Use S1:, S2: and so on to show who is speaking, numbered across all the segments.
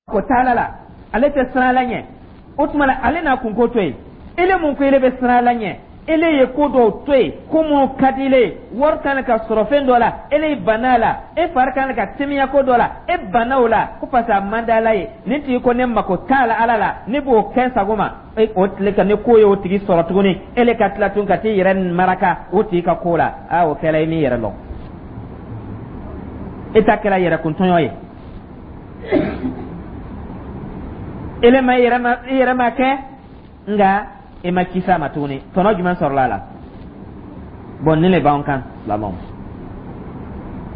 S1: Ko t'ala la, ale tɛ siran Ala ɲɛ. O tuma la, ale n'a kunko to yen. Ele mun ko ele bɛ siran Ala ɲɛ, ele ye ko dɔw to yen, ko minnu ka di ele ye. Wari kan ka sɔrɔ fɛn dɔ la, ele banna la. E fari kan ka temiya ko dɔ la, e banna o la, ko parce que a man di Ala ye. Nin tigi ko ne mako t'a la Ala la, ne b'o kɛ n sago ma. E o tile ka ni ko ye o tigi sɔrɔ tuguni, ele ka tila tun ka t'i yɛrɛ maraka o tigi ka ko la. Aa, o kɛra i m'i yɛrɛ lɔn, e ta kɛra yɛrɛkuntɔɲɔ ye. Ele ma i yɛrɛ ma kɛ, nka e ma kisi a ma tuguni. Tɔnɔ jumɛn sɔrɔla a la? Bɔn, nin le b'an kan, silamɛw.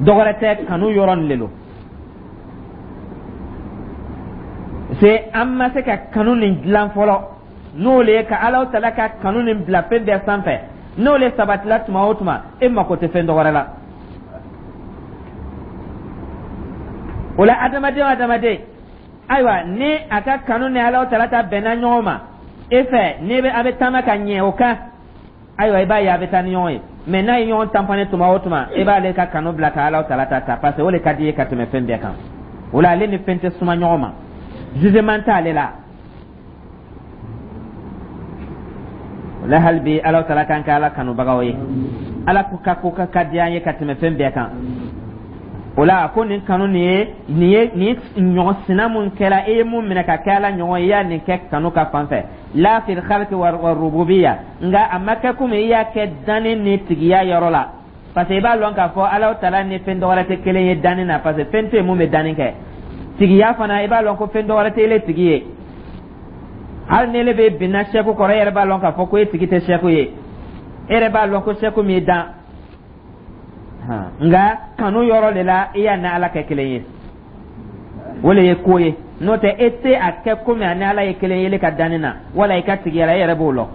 S1: Dɔwɛrɛ tɛ, kanu yɔrɔ nin le lo se. An ma se ka kanu nin dilan fɔlɔ, n'o le ye ka Alahu tala ka kanu nin bila fɛn bɛɛ sanfɛ. N'o le sabatila tuma o tuma, e mako tɛ fɛn dɔwɛrɛ la. O la, adamaden o adamaden, ayiwa, ni a ka kanu ni Alahu tala ta bɛnna ɲɔgɔn ma e fɛ, n'i bɛ a bɛ taama ka ɲɛ o kan, ayiwa, i b'a ye a bɛ taa ni ɲɔgɔn ye. Mɛ n'a ye ɲɔgɔn tanpane tuma o tuma, e b'ale ka kanu bila ka Alahu tala ta ta, parce que o le ka di i ye ka tɛmɛ fɛn bɛɛ kan. O la, ale ni fɛn tɛ suma ɲɔgɔn ma, jugement t'ale la. O la, hali bi, Alahu tala k'an kɛ Ala kanubagaw ye. Ala ko ka ko ka ka di an ye ka tɛmɛ fɛn bɛɛ kan. O la, ko nin kanu nin ye nin ye nin ɲɔgɔn sina mun kɛra, e ye mun minɛ ka kɛ Ala ɲɔgɔn ye, i y'a nin kɛ kanu ka fan fɛ, la fil khalqi wa rububiyya. Nka a ma kɛ komi i y'a kɛ danni ni tigiya yɔrɔ la, parce que i b'a lɔn k'a fɔ Alahu tala ni fɛn dɔwɛrɛ tɛ kelen ye danni na, parce que fɛn tɛ yen mun bɛ danni kɛ. Tigiya fana, i b'a lɔn ko fɛn dɔwɛrɛ tɛ ele tigi ye. Hali ni ele bɛ binna sɛku kɔrɔ, e yɛrɛ b'a lɔn k'a fɔ ko e tigi tɛ sɛku ye. E yɛrɛ b'a lɔn ko sɛku m'i dan. Nka kanu yɔrɔ de la, i y'a ni Ala kɛ kelen ye, o le ye ko ye. N'o tɛ, e tɛ a kɛ komi a ni Ala ye kelen ye ele ka danni na wala i ka tigiya la, e yɛrɛ b'o lɔn.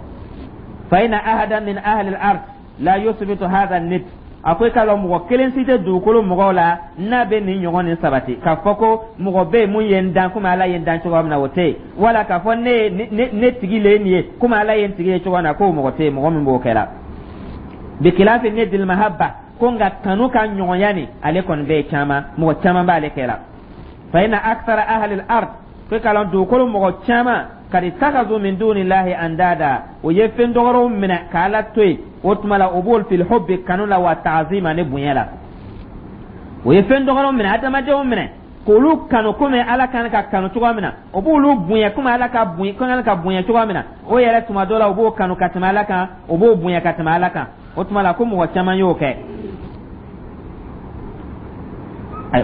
S1: Fa inna ahada min ahli al-ard la yusbitu hadha nid. A ko i k'a lɔn, mɔgɔ kelen si tɛ dugukolo mɔgɔw la n'a bɛ nin ɲɔgɔn nin sabati k'a fɔ ko mɔgɔ bɛ yen mun ye n dan komi Ala ye n dan cogoya min na, o tɛ yen. Wala k'a fɔ ne ne tigi le ye nin ye komi Ala ye n tigi ye cogoya min na, k'o mɔgɔ tɛ yen, mɔgɔ min b'o kɛ la. Bikilafi nidil mahabba, ko nka kanu ka ɲɔgɔnya nin, ale kɔni bɛ yen caman, mɔgɔ caman b'ale kɛ la. Fa inna akthara ahli al-ard, ko k'a lɔn dugukolo mɔgɔ caman, kad ittakhadhu min dunillahi andada, o ye fɛn dɔwɛrɛw minɛ k'Ala to yen. O tuma la, o b'olu fil hubbi, kanu la, wa ta'zima, ni bonya la. O ye fɛn dɔwɛrɛw minɛ, adamadenw minɛ k'olu kanu komi Ala kan ka kanu cogoya min na. O b'olu bonya komi Ala ka bonya kan ka bonya cogoya min na. O yɛrɛ, tuma dɔ la, o b'o kanu ka tɛmɛ Ala kan, o b'o bonya ka tɛmɛ Ala kan. O tuma la, ko mɔgɔ caman y'o kɛ.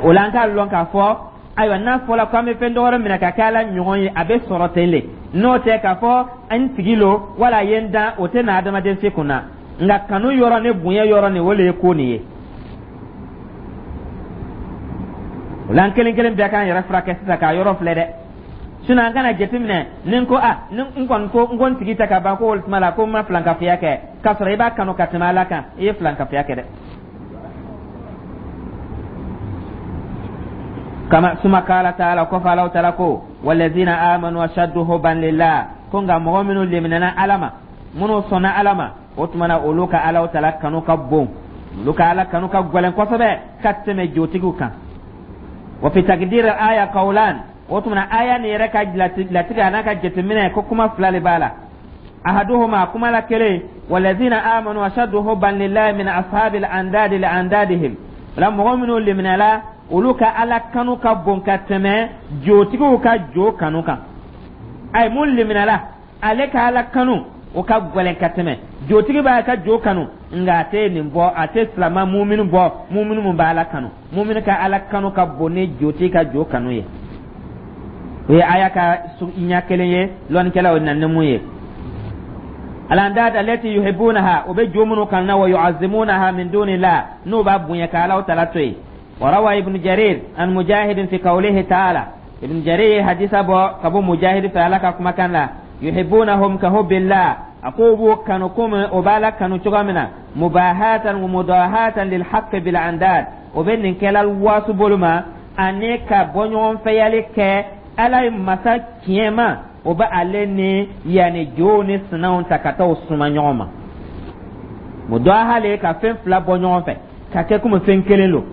S1: O la, an k'a lɔn k'a fɔ, ayiwa, n'a fɔra ko an bɛ fɛn dɔwɛrɛ minɛ ka kɛ Ala ɲɔgɔn ye, a bɛ sɔrɔ ten le. N'o tɛ, k'a fɔ n tigi lo wala a ye n dan, o tɛ na adamaden si kun na. Nka kanu yɔrɔ ni bonya yɔrɔ nin, o le ye ko nin ye. O la, an kelen kelen bɛɛ k'an yɛrɛ furakɛ sisan k'a yɔrɔ filɛ dɛ. Sinon, an kana jateminɛ ni n ko a ni n kɔni ko n ko n tigi tɛ ka ban, ko o tuma la ko n ma filankafoya kɛ, k'a sɔrɔ i b'a kanu ka tɛmɛ Ala kan, i ye filankafoya kɛ dɛ. Kama suma kala taala, kɔfɛ Alahu taala ko walazina amanu ashaddu hubban lillah, ko nka mɔgɔ minnu leminɛna Ala ma, minnu sɔnna Ala ma, o tuma na, olu ka Alahu taala kanu ka bon, olu ka Ala kanu ka gɛlɛn kosɛbɛ ka tɛmɛ jotigiw kan. Wa fi takdir aya qawlan, o tuma na, aya nin yɛrɛ ka latigɛ a n'a ka jateminɛ, ko kuma fila de b'a la. Ahaduhuma, kuma la kelen, walazina amanu ashaddu hubban lillahi min ashabil andadi li andadihim la, mɔgɔ minnu liminɛla, olu ka Ala kanu ka bon ka tɛmɛ jotigiw ka jo kanu kan. Ayi, mun liminɛla, ale ka Ala kanu, o ka gɛlɛn ka tɛmɛ jotigi b'a ka jo kanu. Nka a tɛ nin bɔ, a tɛ silama muminu bɔ, muminu mun b'a Ala kanu. Muminu ka Ala kanu ka bon ni jotigi ka jo kanu ye. O ye aya ka ɲɛ kelen ye. Lɔnnikɛlaw na ni mun ye, alandad allati yuhibbunaha, o bɛ jo minnu kanu na, wa yu'azzimunaha min dunillah, n'o b'a bonya ka Ala tala to yen. Wa rawa Ibn Jarir an Mujahid fi qawlihi ta'ala, Ibn Jarir ye hadisa bɔ ka bɔ Mujahid fɛ Ala ka kumakan la, yuhibbunahum ka hubbillah, a ko b'o kanu komi o b'Ala kanu cogoya min na, mubahatan wa mudahatan lil haqq bil andad, o bɛ nin kɛla wasu bolo ma ani ka bɔɲɔgɔnfɛyali kɛ Ala ye masa tiɲɛma. O bɛ ale ni yanni jow ni sinaw ta ka taa o suma ɲɔgɔn ma. Mudaha le ka fɛn fila bɔ ɲɔgɔn fɛ ka kɛ komi fɛn kelen lo.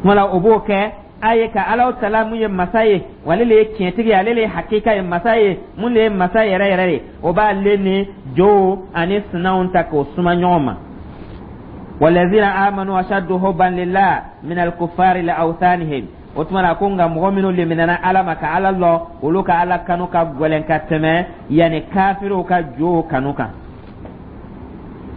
S1: Kuma la, o b'o kɛ. A ye ka Alahu Taala mun ye masa ye, wa ale le ye tiɲɛtigi ye, ale le ye hakika ye, masa ye mun le ye masa yɛrɛ yɛrɛ ye, o b'ale ni jow ani sinaw ta k'o suma ɲɔgɔn ma. Walazina amanu ashaddu hubban lillah min alkufari li awthanihim. O tuma na ko nka mɔgɔ minnu liminɛna Ala ma ka Ala lɔ, olu ka Ala kanu ka gɛlɛn ka tɛmɛ yanni kafiriw ka jow kanu kan.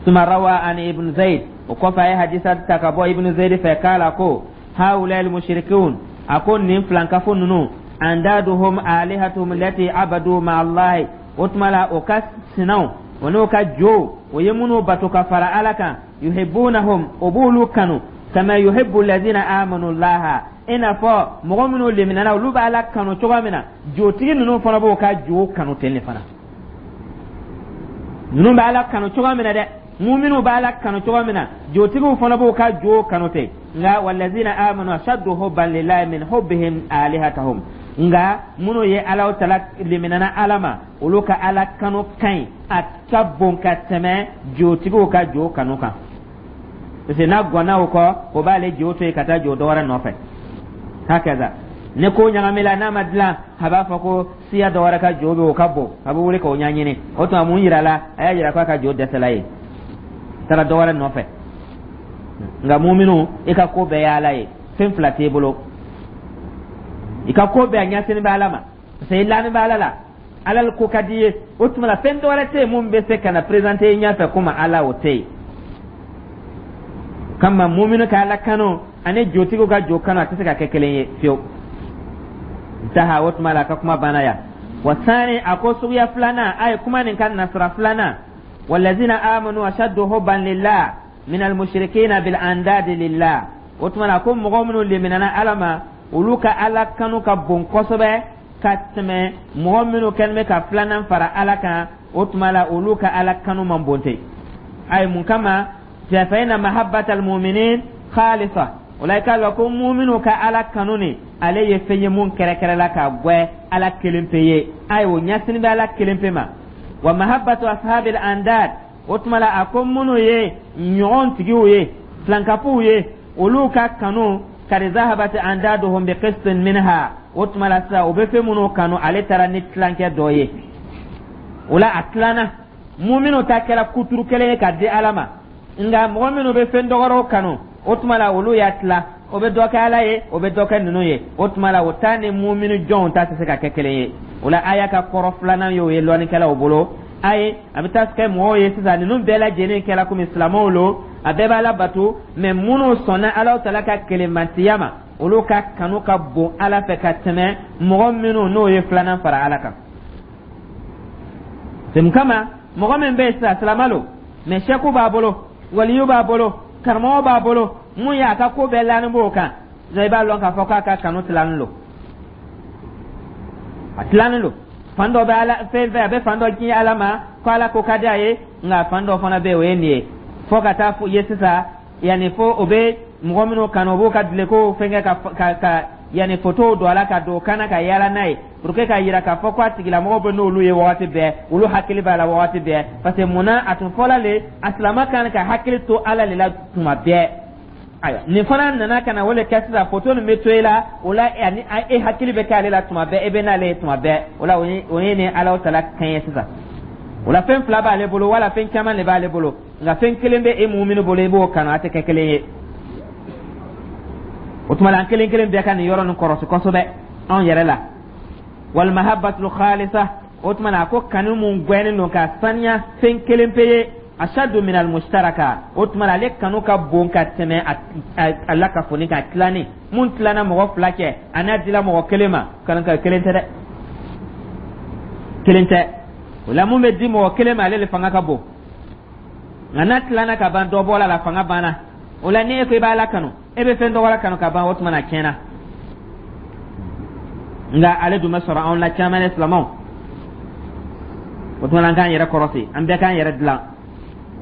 S1: Suma rawa an Ibn Zayd, o kɔfɛ a ye hadisa ta ka bɔ Ibn Zayd fɛ k'a la ko haula almushrikun, a ko nin filankafo ninnu, andaduhum alihatuhum lati abadu ma Allahi, o tuma la o ka sinaw o n'o ka jow, o ye minnu bato ka fara Ala kan, yuhibbunahum, o b'olu kanu, kama yuhibbu alladhina amanu Allaha, i n'a fɔ mɔgɔ minnu liminɛna, olu b'Ala kanu cogoya min na, jotigi ninnu fana b'o ka jow kanu ten de fana. Ninnu bɛ Ala kanu cogoya min na dɛ, muminuw bɛ Ala kanu cogoya min na, jotigiw fana b'o ka jow kanu ten. Nka walazina amanu ashaddu hubban lillahi min hubbihim alihatahum, nka minnu ye Ala Tala liminɛna Ala ma, olu ka Ala kanu ka ɲi, a ka bon ka tɛmɛ jotigiw ka jo kanu kan, parce que n'a gɔnna o kɔ, o b'ale jo to yen ka taa jo dɔ wɛrɛ nɔfɛ. Hakaza ni ko ɲagamila n'a ma dilan, a b'a fɔ ko siya dɔ wɛrɛ ka jo bɛ, o ka bon, a bɛ wuli k'o ɲɛɲini. O tuma mun yira la? A y'a yira k'a ka jo dɛsɛla ye, taara dɔ wɛrɛ nɔfɛ. Nka muminu, i ka ko bɛɛ ye Ala ye, fɛn fila t'e bolo, i ka ko bɛɛ a ɲɛsini bɛ Ala ma, parce que i lani bɛ Ala la, Ala ko ka di ye. O tuma la fɛn dɔ wɛrɛ tɛ yen mun bɛ se ka na présenter i ɲɛfɛ komi Ala, o tɛ yen. Kama muminu ka Ala kanu ani jotigiw ka jo kanu, a tɛ se ka kɛ kelen ye fiyewu. Intaha. O tuma la a ka kuma banna yan. Wa sani, a ko suguya filanan, a ye kuma nin ka nasira filanan, walazina amanu ashaddu hubban lillah min almushrikina bil andadi lillah. O tuma la ko mɔgɔ minnu liminɛna Ala ma, olu ka Ala kanu ka bon kosɛbɛ ka tɛmɛ mɔgɔ minnu kɛlen bɛ ka filanan fara Ala kan. O tuma la olu ka Ala kanu man bon ten. Ayi, mun kama? Fa inna mahabbatal mu'minin khalisa. O la i k'a lɔn ko muminu ka Ala kanu ni ale ye fɛn ye mun kɛrɛkɛrɛla ka gwɛ Ala kelen pe ye. Ayi, o ɲɛsini bɛ Ala kelen pe ma. Wa mahabbatu ashabil andad, o tuma la a ko minnu ye ɲɔgɔn tigiw ye, filankafow ye, olu ka kanu, kadi zahabati andaduhum bi qistin minha. O tuma la sisan o bɛ fɛn minnu kanu, ale taara ni tilankɛ dɔ ye. O la a tilanna, muminu ta kɛra kuturu kelen ye ka di Ala ma, nka mɔgɔ minnu bɛ fɛn dɔgɔrɔw kanu, o tuma la olu y'a tila, o bɛ dɔ kɛ Ala ye, o bɛ dɔ kɛ ninnu ye. O tuma la o ta ni muminu jɔnw ta tɛ se ka kɛ kelen ye. O la aya ka kɔrɔ filanan y'o ye lɔnnikɛlaw bolo. Ayi, a bɛ taa kɛ mɔgɔw ye sisan, ninnu bɛɛ lajɛlen kɛra komi silamɛw lo, a bɛɛ b'Ala bato, mɛ minnu sɔnna Ala Tala ka kelenmantiya ma, olu ka kanu ka bon Ala fɛ ka tɛmɛ mɔgɔ minnu n'o ye filanan fara Ala kan. Mun kama? Mɔgɔ min bɛ yen sisan, silamɛ lo, mɛ sɛku b'a bolo, waliyu b'a bolo, karamɔgɔ b'a bolo, mun ye a ka ko bɛɛ lani b'o kan, i b'a lɔn k'a fɔ k'a ka kanu tilanin lo, a tilanin lo. Fan dɔ bɛ Ala fɛn fɛn, a bɛ fan dɔ kin Ala ma ko Ala ko ka di a ye, nka fan dɔ fana bɛ yen, o ye nin ye, fo ka taa ye sisan yanni fo o bɛ mɔgɔ minnu kanu, o b'o ka dulokiw fɛnkɛ ka yanni fotow don a la ka don o kan na ka yaala n'a ye pour que k'a yira k'a fɔ ko a tigilamɔgɔ bɛ n'olu ye wagati bɛɛ, olu hakili b'a la wagati bɛɛ. Parce que munna a tun fɔla le a silama kan ka hakili to Ala le la tuma bɛɛ? Ayiwa, nin fana nana ka na o le kɛ sisan, foto nin bɛ to i la, o la ani e hakili bɛ kɛ ale la tuma bɛɛ, e bɛ n'ale ye tuma bɛɛ. O la o ye ni Ala Tala kan ye sisan. O la fɛn fila b'ale bolo wala fɛn caman de b'ale bolo, nka fɛn kelen bɛ e muminu bolo, i b'o kanu, a tɛ kɛ kelen ye. O tuma la an kelen kelen bɛɛ ka nin yɔrɔ nin kɔrɔsi kosɛbɛ anw yɛrɛ la. Wal mahabbatul khalisa, o tuma na a ko kanu mun gwɛnnen don ka saniya, fɛn kelen pe ye, ashaddu min al mushtaraka, o tuma na ale kanu ka bon ka tɛmɛ a lakafoni ka tilani mun tilana mɔgɔ fila cɛ, a n'a dila mɔgɔ kelen ma. Kanu ka kelen tɛ dɛ, kelen tɛ. O la mun bɛ di mɔgɔ kelen ma, ale le fanga ka bon, nka n'a tilana ka ban, dɔ bɔla la, fanga banna. O la ni e ko i b'Ala kanu, e bɛ fɛn dɔ wɛrɛ kanu ka ban, o tuma na tiɲɛna. Nka ale dun bɛ sɔrɔ anw la caman ne silamɛw. O tuma na an k'an yɛrɛ kɔrɔsi, an bɛɛ k'an yɛrɛ dilan.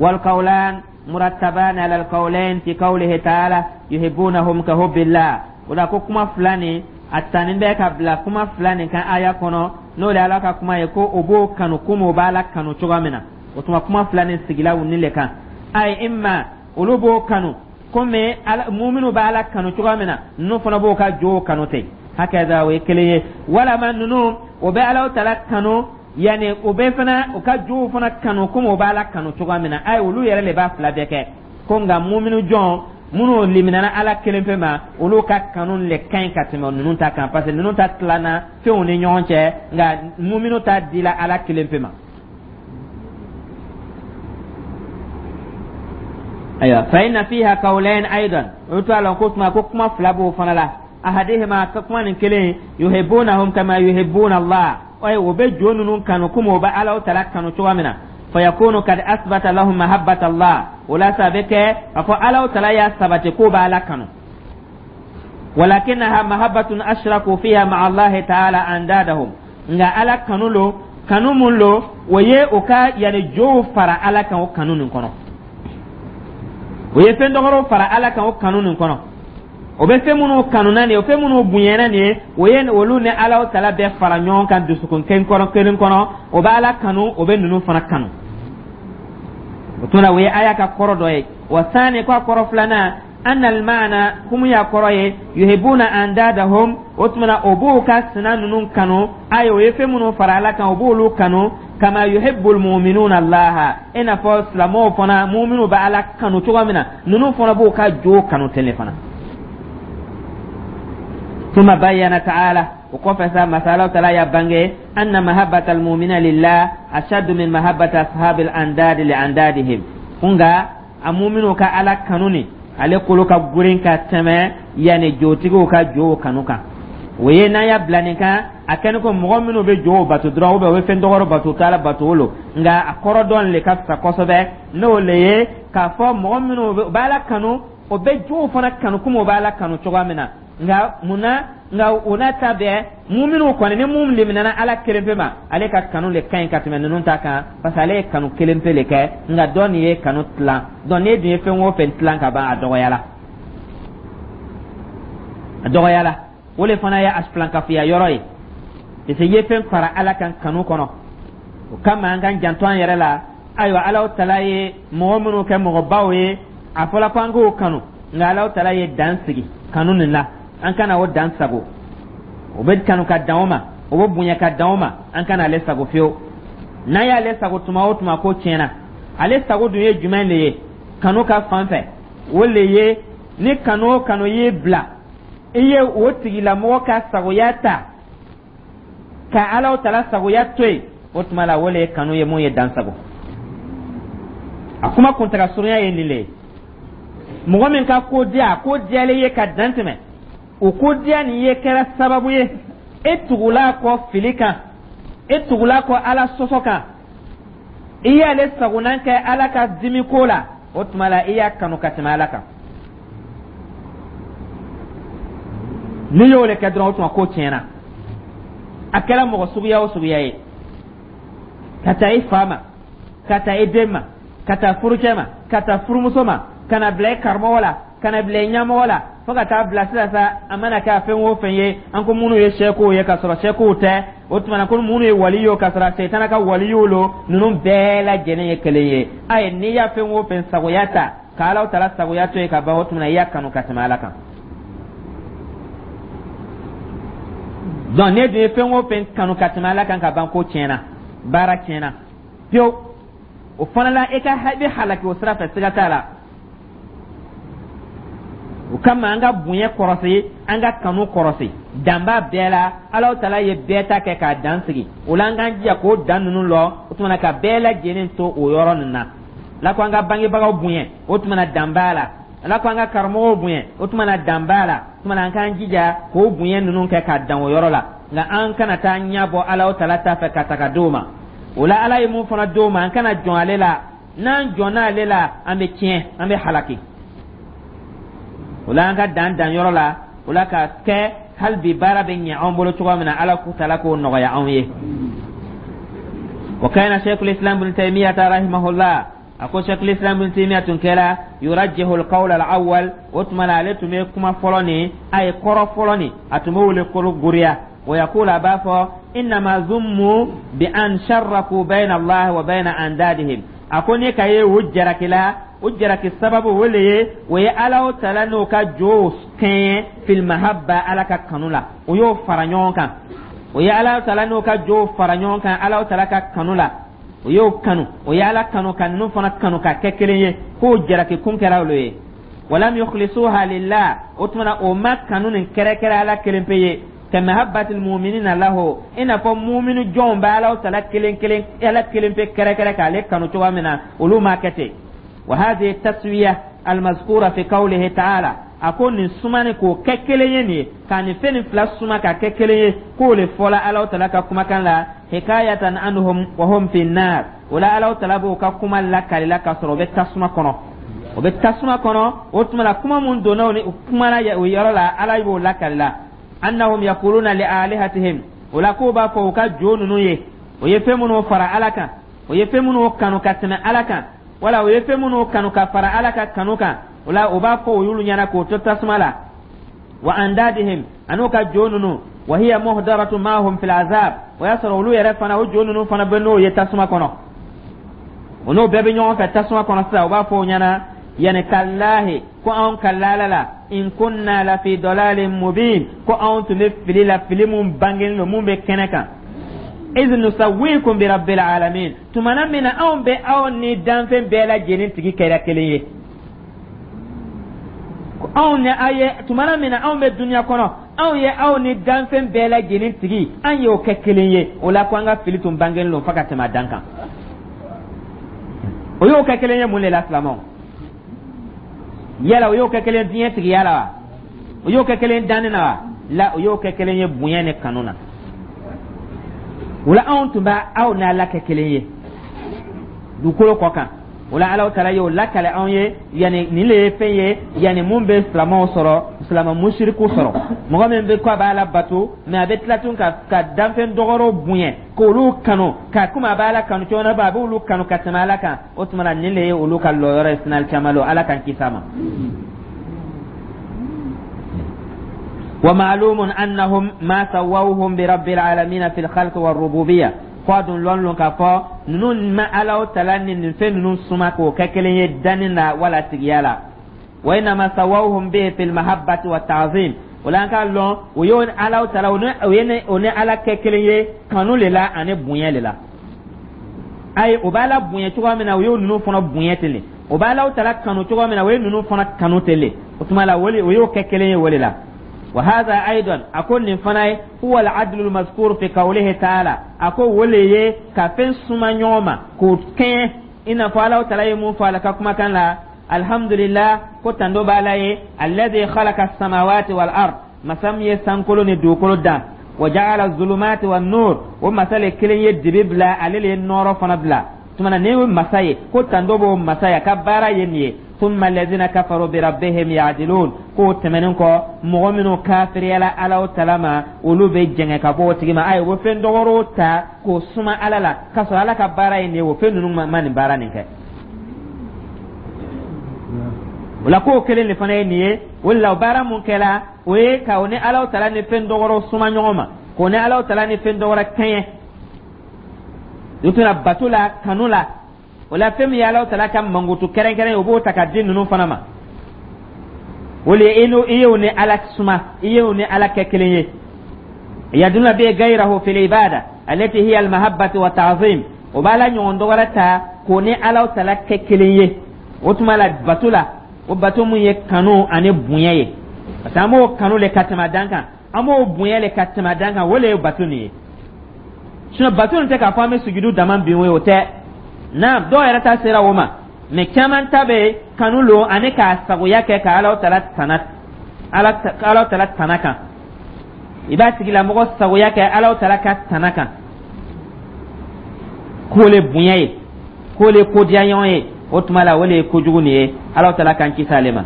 S1: Walqawlan murattaban ala alqawlain fi qawlihi ta'ala yuhibbunahum ka hubbillah. O la ko kuma fila nin, a tanin bɛ ka bila kuma fila nin kan aya kɔnɔ, n'o de Ala ka kuma ye ko o b'o kanu komi o b'Ala kanu cogoya min na. O tuma kuma fila nin sigila u ni le kan. Ayi, imma olu b'o kanu. Komi muminu bɛ Ala kanu cogoya min na, ninnu fana b'o ka jow kanu ten. Hakaza, o ye kelen ye. Walama ninnu o bɛ Alahu taala kanu, yanni o bɛ fana u ka jow fana kanu komi o bɛ Ala kanu cogoya min na. Ayi, olu yɛrɛ de b'a fila bɛɛ kɛ ko. Nka muminu jɔn minnu liminana Ala kelen pe ma, olu ka kanu le ka ɲi ka tɛmɛ ninnu ta kan, parce que ninnu ta tilanna fɛnw ni ɲɔgɔn cɛ, nka muminu ta dila Ala kelen pe ma. Ayiwa, fa inna fiha qawlayn aidan, o to a la ko tuma ko kuma fila b'o fana la. Ahadihima, ka kuma nin kelen, yuhibbunahum kama yuhibbuna Allah, ayi, o bɛ jo ninnu kanu komi o bɛ Ala taala kanu cogoya min na. Fayakunu kad asbata lahum mahabbata Allah, o la sa bɛ kɛ a fɔ Ala taala y'a sabati k'o bɛ Ala kanu. Walakinaha mahabbatun ashraku fiha ma'a Allah ta'ala andadahum, nka Ala kanu lo, kanu mun lo, o ye o ka yanni jow fara Ala kan o kanu nin kɔnɔ. O ye fɛn dɔgɔrɔw fara Ala kan o kanu nin kɔnɔ. O bɛ fɛn minnu kanuna nin ye, o fɛn minnu bonyana nin ye, o ye olu ni Ala taala bɛɛ fara ɲɔgɔn kan dusukun kelen kɔnɔ kelen kɔnɔ. O bɛ Ala kanu, o bɛ ninnu fana kanu. O tuma na, o ye aya ka kɔrɔ dɔ ye. Wa sani, ko a kɔrɔ filanan, anna almaana, kumu y'a kɔrɔ ye, yuhibuna andadahum, o tuma na o b'u ka sina ninnu kanu. Ayi, o ye fɛn minnu fara Ala kan, o b'olu kanu, kama yuhibbul mu'minuna Allah, i n'a fɔ silamɛw fana, mu'minu bɛ Ala kanu cogo min na, ninnu fana b'u ka jo kanu ten de fana. Thumma bayyana ta'ala, o kɔfɛ sa, masa Ala taala y'a bange, anna mahabbata almu'mina lillah ashaddu min mahabbati ashabil andadi li andadihim, nka a mu'minu ka Ala kanu ni ale kolo ka gurin ka tɛmɛ yanni jotigiw ka jow kanu kan. O ye n'an y'a bila nin kan, a kɛni ko mɔgɔ minnu bɛ jow bato dɔrɔn, ou bien u bɛ fɛn dɔgɔrɔ bato, t'Ala bato o lo. Nka a kɔrɔ dɔn le ka fisa kosɛbɛ, n'o le ye k'a fɔ mɔgɔ minnu bɛ Ala kanu, o bɛ jow fana kanu komi o bɛ Ala kanu cogoya min na. Nka munna? Nka o n'a ta bɛɛ, muminu kɔni, ni mun liminana Ala kelen pe ma, ale ka kanu le ka ɲi ka tɛmɛ ninnu ta kan, parce que ale ye kanu kelen pe le kɛ. Nka dɔ nin ye kanu tilan. Donc n'e dun ye fɛn o fɛn tilan ka ban, a dɔgɔyala, a dɔgɔyala. O le fana ye a filankafoya yɔrɔ ye, parce que i ye fɛn fara Ala kan kanu kɔnɔ. O kama an k'an janto an yɛrɛ la. Ayiwa, Ala tala ye mɔgɔ minnu kɛ mɔgɔbaw ye, a fɔla ko an k'o kanu, nka Ala tala ye dan sigi kanu nin la, an kana o dan sago. O bɛ kanu ka dan o ma, o bɛ bonya ka dan o ma, an kana ale sago fiyewu. N'an y'ale sago tuma o tuma, ko tiɲɛna. Ale sago dun ye jumɛn de ye kanu ka fan fɛ? O le ye ni kanu o kanu y'i bila i ye o tigilamɔgɔ ka sagoya ta ka Ala tala sagoya to yen, o tuma la o le ye kanu ye mun ye dan sago. A kuma kuntaga surunya ye nin le ye: mɔgɔ min ka ko diya, ko diyalen ye ka dan tɛmɛ, o ko diya nin ye kɛra sababu ye e tugula kɔ fili kan, e tugula kɔ Ala sɔsɔ kan, i y'ale sagonan kɛ Ala ka dimi ko la, o tuma la i y'a kanu ka tɛmɛ Ala kan. N'i y'o le kɛ dɔrɔn, o tuma ko tiɲɛna. A kɛra mɔgɔ suguya o suguya ye, ka taa i fa ma, ka taa i den ma, ka taa furucɛ ma, ka taa furumuso ma, ka na bila i karamɔgɔ la, ka na bila i ɲɛmɔgɔ la, fo ka taa bila sisan sa, a mana kɛ a fɛn o fɛn ye, an ko minnu ye sɛkow ye ka sɔrɔ sɛkow tɛ, o tuma na ko minnu ye waliyo ka sɔrɔ sɛtana ka waliyow lo, ninnu bɛɛ lajɛlen ye kelen ye. Ayi, n'i y'a fɛn o fɛn sagoya ta ka Ala tala sagoya to yen ka ban, o tuma na i y'a kanu ka tɛmɛ Ala kan. Donc n'e dun ye fɛn o fɛn kanu ka tɛmɛ Ala kan ka ban, ko tiɲɛna, baara tiɲɛna pewu. O fana la, e ka i bɛ halaki o sira fɛ, siga t'a la. O kama an ka bonya kɔrɔsi, an ka kanu kɔrɔsi, dan b'a bɛɛ la. Ala tala ye bɛɛ ta kɛ k'a dan sigi. O la an k'an jija k'o dan ninnu lɔ, o tuma na ka bɛɛ lajɛlen to o yɔrɔ nin na. Ala ko an ka bangebagaw bonya, o tuma na dan b'a la. Ala ko an ka karamɔgɔw bonya, o tuma na dan b'a la. O tuma na an k'an jija k'o bonya ninnu kɛ ka dan o yɔrɔ la. Nka an kana taa ɲɛ bɔ Ala tala ta fɛ ka ta ka d'o ma. O la Ala ye mun fana d'o ma, an kana jɔn ale la. N'an jɔnna ale la, an bɛ tiɲɛ, an bɛ halaki. O la an ka dan dan yɔrɔ la, o la ka kɛ hali bi baara bɛ ɲɛ anw bolo cogoya min na, Ala k'u tala k'o nɔgɔya anw ye. Wa kana Sheikhul Islam Ibn Taymiyyah rahimahullah, a ko Sheikhul Islam Ibn Taymiyyah tun kɛra yurajjihu al-qawl al-awwal, o tuma na ale tun bɛ kuma fɔlɔ nin, a ye kɔrɔ fɔlɔ nin, a tun b'o le kolo goriya. Wa yaqulu, a b'a fɔ, innama zummu bi an sharraku bayna Allah wa bayna andadihim. A ko ne ka ye o jaraki la, o jaraki sababu o le ye, o ye Alaw Tala n'o ka jow kɛɲɛ fil mahabba, Ala ka kanu la, o y'o fara ɲɔgɔn kan. O ye Alaw Tala n'o ka jow fara ɲɔgɔn kan Alaw Tala ka kanu la, o y'o kanu, o ye Ala kanu ka ninnu fana kanu ka kɛ kelen ye, k'o jaraki kun kɛra olu ye. Walam yukhlisuha lillah, o tuma na o ma kanu nin kɛrɛkɛrɛ Ala kelen pe ye, ka mahabbatil mu'minina lahu, i n'a fɔ muminu jɔnw bɛ Alaw Tala kelen kelen, Ala kelen pe kɛrɛkɛrɛ k'ale kanu cogoya min na, olu m'a kɛ ten. Wa hadhihi taswiya almazkura fi qawlihi ta'ala, a ko nin sumani k'o kɛ kelen ye nin ye, ka nin fɛn nin fila suma ka kɛ kelen ye, k'o le fɔla Alaw Tala ka kumakan la, hikayatan anhum wa hum fi nar. O la, Alaw Tala b'o ka kuma lakalila ka sɔrɔ o bɛ tasuma kɔnɔ, o bɛ tasuma kɔnɔ. O tuma la, kuma mun donna o ni kuma la o yɔrɔ la, Ala b'o lakalila, annahum yaquluna li alihatihim. O la, k'o b'a fɔ u ka jo ninnu ye, o ye fɛn minnu fara Ala kan, o ye fɛn minnu kanu ka tɛmɛ Ala kan, wala o ye fɛn minnu kanu ka fara Ala ka kanu kan. O la, o b'a fɔ o y'olu ɲɛna k'o to tasuma la, wa andadihim, an'u ka jo ninnu, wa hiya muhdaratu ma'hum fil azab. O y'a sɔrɔ olu yɛrɛ fana, o jo ninnu fana bɛ n'o ye tasuma kɔnɔ, o n'o bɛɛ bɛ ɲɔgɔn fɛ tasuma kɔnɔ sisan. O b'a fɔ o ɲɛna yani tallahi, ko anw ka lala la, in kunna la fi dalalin mubin, ko anw tun bɛ fili la, fili mun bangelen don, mun bɛ kɛnɛ kan, iz nusawwikum bi rabbil alamin, tumana min na anw bɛ aw ni danfɛn bɛɛ lajɛlen tigi kɛra kelen ye. Anw ni aw ye, tumana min na anw bɛ duniya kɔnɔ, anw ye aw ni danfɛn bɛɛ lajɛlen tigi, an y'o kɛ kelen ye. O la, ko an ka fili tun bangelen don fo ka tɛmɛ a dan kan. O y'o kɛ kelen ye mun de la, silamɛw? Yala o y'o kɛ kelen diɲɛ tigiya la wa? O y'o kɛ kelen danni na wa? La, o y'o kɛ kelen ye bonya ni kanu na. O la, anw tun bɛ aw n'Ala kɛ kelen ye dugukolo kɔ kan. O la, Alaw Taala y'o lakale anw ye. Yanni nin le ye fɛn ye, yanni mun bɛ silamɛw sɔrɔ, silamɛ musiriku sɔrɔ, mɔgɔ min bɛ ko a b'a la bato, mɛ a bɛ tila tun ka danfɛn dɔgɔrɔw bonya k'olu kanu ka komi a b'a la kanu cogo min na, a b'olu kanu ka tɛmɛ Ala kan. O tuma na, nin le ye olu ka lɔyɔrɔ ye sinali caman lo. Ala k'an kisi a ma. Wa ma'lumun annahum ma sawawhum bi rabbil alamin fil khalq war rububiyya, ko a dun lɔn lon k'a fɔ ninnu ma Alaw Tala ni nin fɛn ninnu suma k'o kɛ kelen ye danni na wala tigiya la. Wa innama sawawhum bihi fil mahabbati wa ta'zim. O la, an k'a lɔn o ye Alaw Tala, o ye o ni Ala kɛ kelen ye kanu le la ani bonya le la. Ayi, o b'Ala bonya cogoya min na, o y'o ninnu fana bonya ten le. O b'Alaw Tala kanu cogoya min na, o ye ninnu fana kanu ten le. O tuma la, o y'o kɛ kelen ye o de la. Wa hadha aidan, a ko nin fana ye, huwa al-adlu al-mazkur fi qawlihi ta'ala, a ko o le ye ka fɛn suma ɲɔgɔn ma k'o kɛɲɛ, i n'a fɔ Alaw Tala ye mun fɔ ala ka kumakan la: alhamdulillah, ko tando b'Ala ye, alladhi khalaqa as-samawati wal ard, masa min ye sankolo ni dugukolo dan, wa ja'ala zulumati wan nur, o masa le kelen ye dibi bila, ale le ye nɔɔrɔ fana bila. Tuma na ne ye masa ye, ko tando b'o masa ye, a ka baara ye nin ye. Thumma alladhina kafaru bi rabbihim ya'dilun, k'o tɛmɛnen kɔ, mɔgɔ minnu kafiriyala Alaw Tala ma, olu bɛ jɛngɛ ka bɔ o tigi ma. Ayi, o bɛ fɛn dɔgɔrɔw ta k'o suma Ala la, k'a sɔrɔ Ala ka baara ye nin ye, o fɛn ninnu ma nin baara nin kɛ. O la, k'o kelen de fana ye nin ye. O de la, o baara mun kɛla, o ye ka o ni Alaw Tala ni fɛn dɔgɔrɔw suma ɲɔgɔn ma, k'o ni Alaw Tala ni fɛn dɔgɔrɔ kɛɲɛ o tuma bato la, kanu la. O la, fɛn min ye Alaw Tala ka mankutu kɛrɛnkɛrɛn ye, o b'o ta ka di ninnu fana ma. O le ye i y'o ni Ala suma, i y'o ni Ala kɛ kelen ye. Yaduna bi gayrahu fil ibada allati hiya al mahabbati wa ta'zim, o b'Ala ɲɔgɔn dɔgɔrɛ ta k'o ni Alaw Tala kɛ kelen ye o tuma la bato la, o bato mun ye kanu ani bonya ye, parce que an b'o kanu le ka tɛmɛ dan kan, an b'o bonya le ka tɛmɛ dan kan, o le ye bato nin ye. Sinon bato nin tɛ k'a fɔ an bɛ sujudu dama bin o ye, o tɛ. Naam, dɔw yɛrɛ ta sera o ma, mais caman ta bɛ kanu lo ani k'a sagoya kɛ ka Alaw Tala tana, Alaw Tala tana kan. I b'a tigilamɔgɔ sagoya kɛ Alaw Tala ka tana kan, k'o le bonya ye, k'o le kodiya ɲɔgɔn ye. O tuma la, o le ye kojugu nin ye. Alaw Tala k'an kisi ale ma.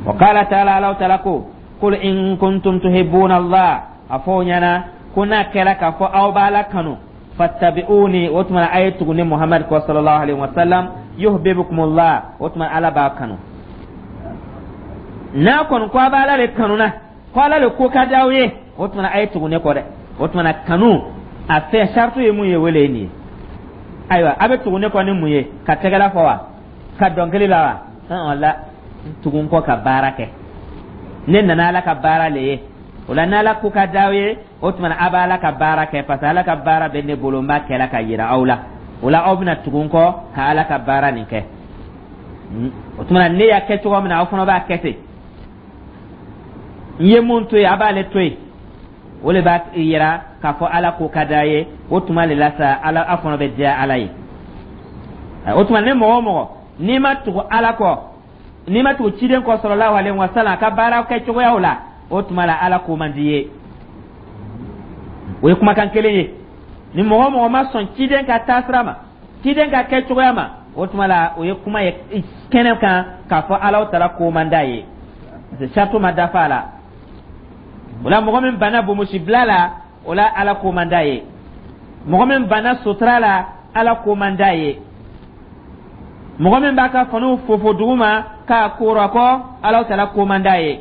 S1: Wa qala ta'ala, Alaw Tala ko: qul in kuntum tuhibbuna Allah, a fɔ o ɲɛna ko n'a kɛra k'a fɔ aw b'Ala kanu, fattabi'uni, o tuma a ye tugu ne Muhammad kɔ sallallahu alaihi wa sallam, yuhibbukumullah, o tuma Ala b'a kanu. N'a kɔni ko a b'Ala de kanu na, ko Ala de ko ka di aw ye, o tuma a ye tugu ne kɔ dɛ. O tuma kanu a fɛn saratu ye mun ye, o le ye nin ye. Ayiwa, a bɛ tugu ne kɔ ni mun ye? Ka tɛgɛla fɔ wa? Ka dɔnkili la wa? La, tugu n kɔ ka baara kɛ. Ne nana Ala ka baara le ye. O la, n'Ala ko ka d'aw ye, o tuma na a b'Ala ka baara kɛ, parce que Ala ka baara bɛ ne bolo, n b'a kɛla ka yira aw la. O la, aw bɛna tugu n kɔ ka Ala ka baara nin kɛ. O tuma na, ne y'a kɛ cogo min na, aw fana b'a kɛ ten. N ye mun to yen, a b'ale to yen. O le b'a yira k'a fɔ Ala ko ka d'a ye. O tuma le la sa, Ala aw fana bɛ diya Ala ye. O tuma, ne mɔgɔ o mɔgɔ n'i ma tugu Ala kɔ, n'i ma tugu ciden kɔ sallallahu alaihi wa sallam a ka baara kɛ cogoyaw la, o tuma la Ala ko man di ye. O ye kumakan kelen ye. Ni mɔgɔ o mɔgɔ ma sɔn ciden ka taasira ma, ciden ka kɛ cogoya ma, o tuma la o ye kuma ye kɛnɛ kan k'a fɔ Ala taala ko man d'a ye, parce que saratu ma dafa a la. O la, mɔgɔ min banna bonbonsibila la, o la Ala ko man d'a ye. Mɔgɔ min banna sutura la, Ala ko man d'a ye. Mɔgɔ min b'a ka faniw fofo dugu ma k'a koora kɔ, Ala taala ko man d'a ye.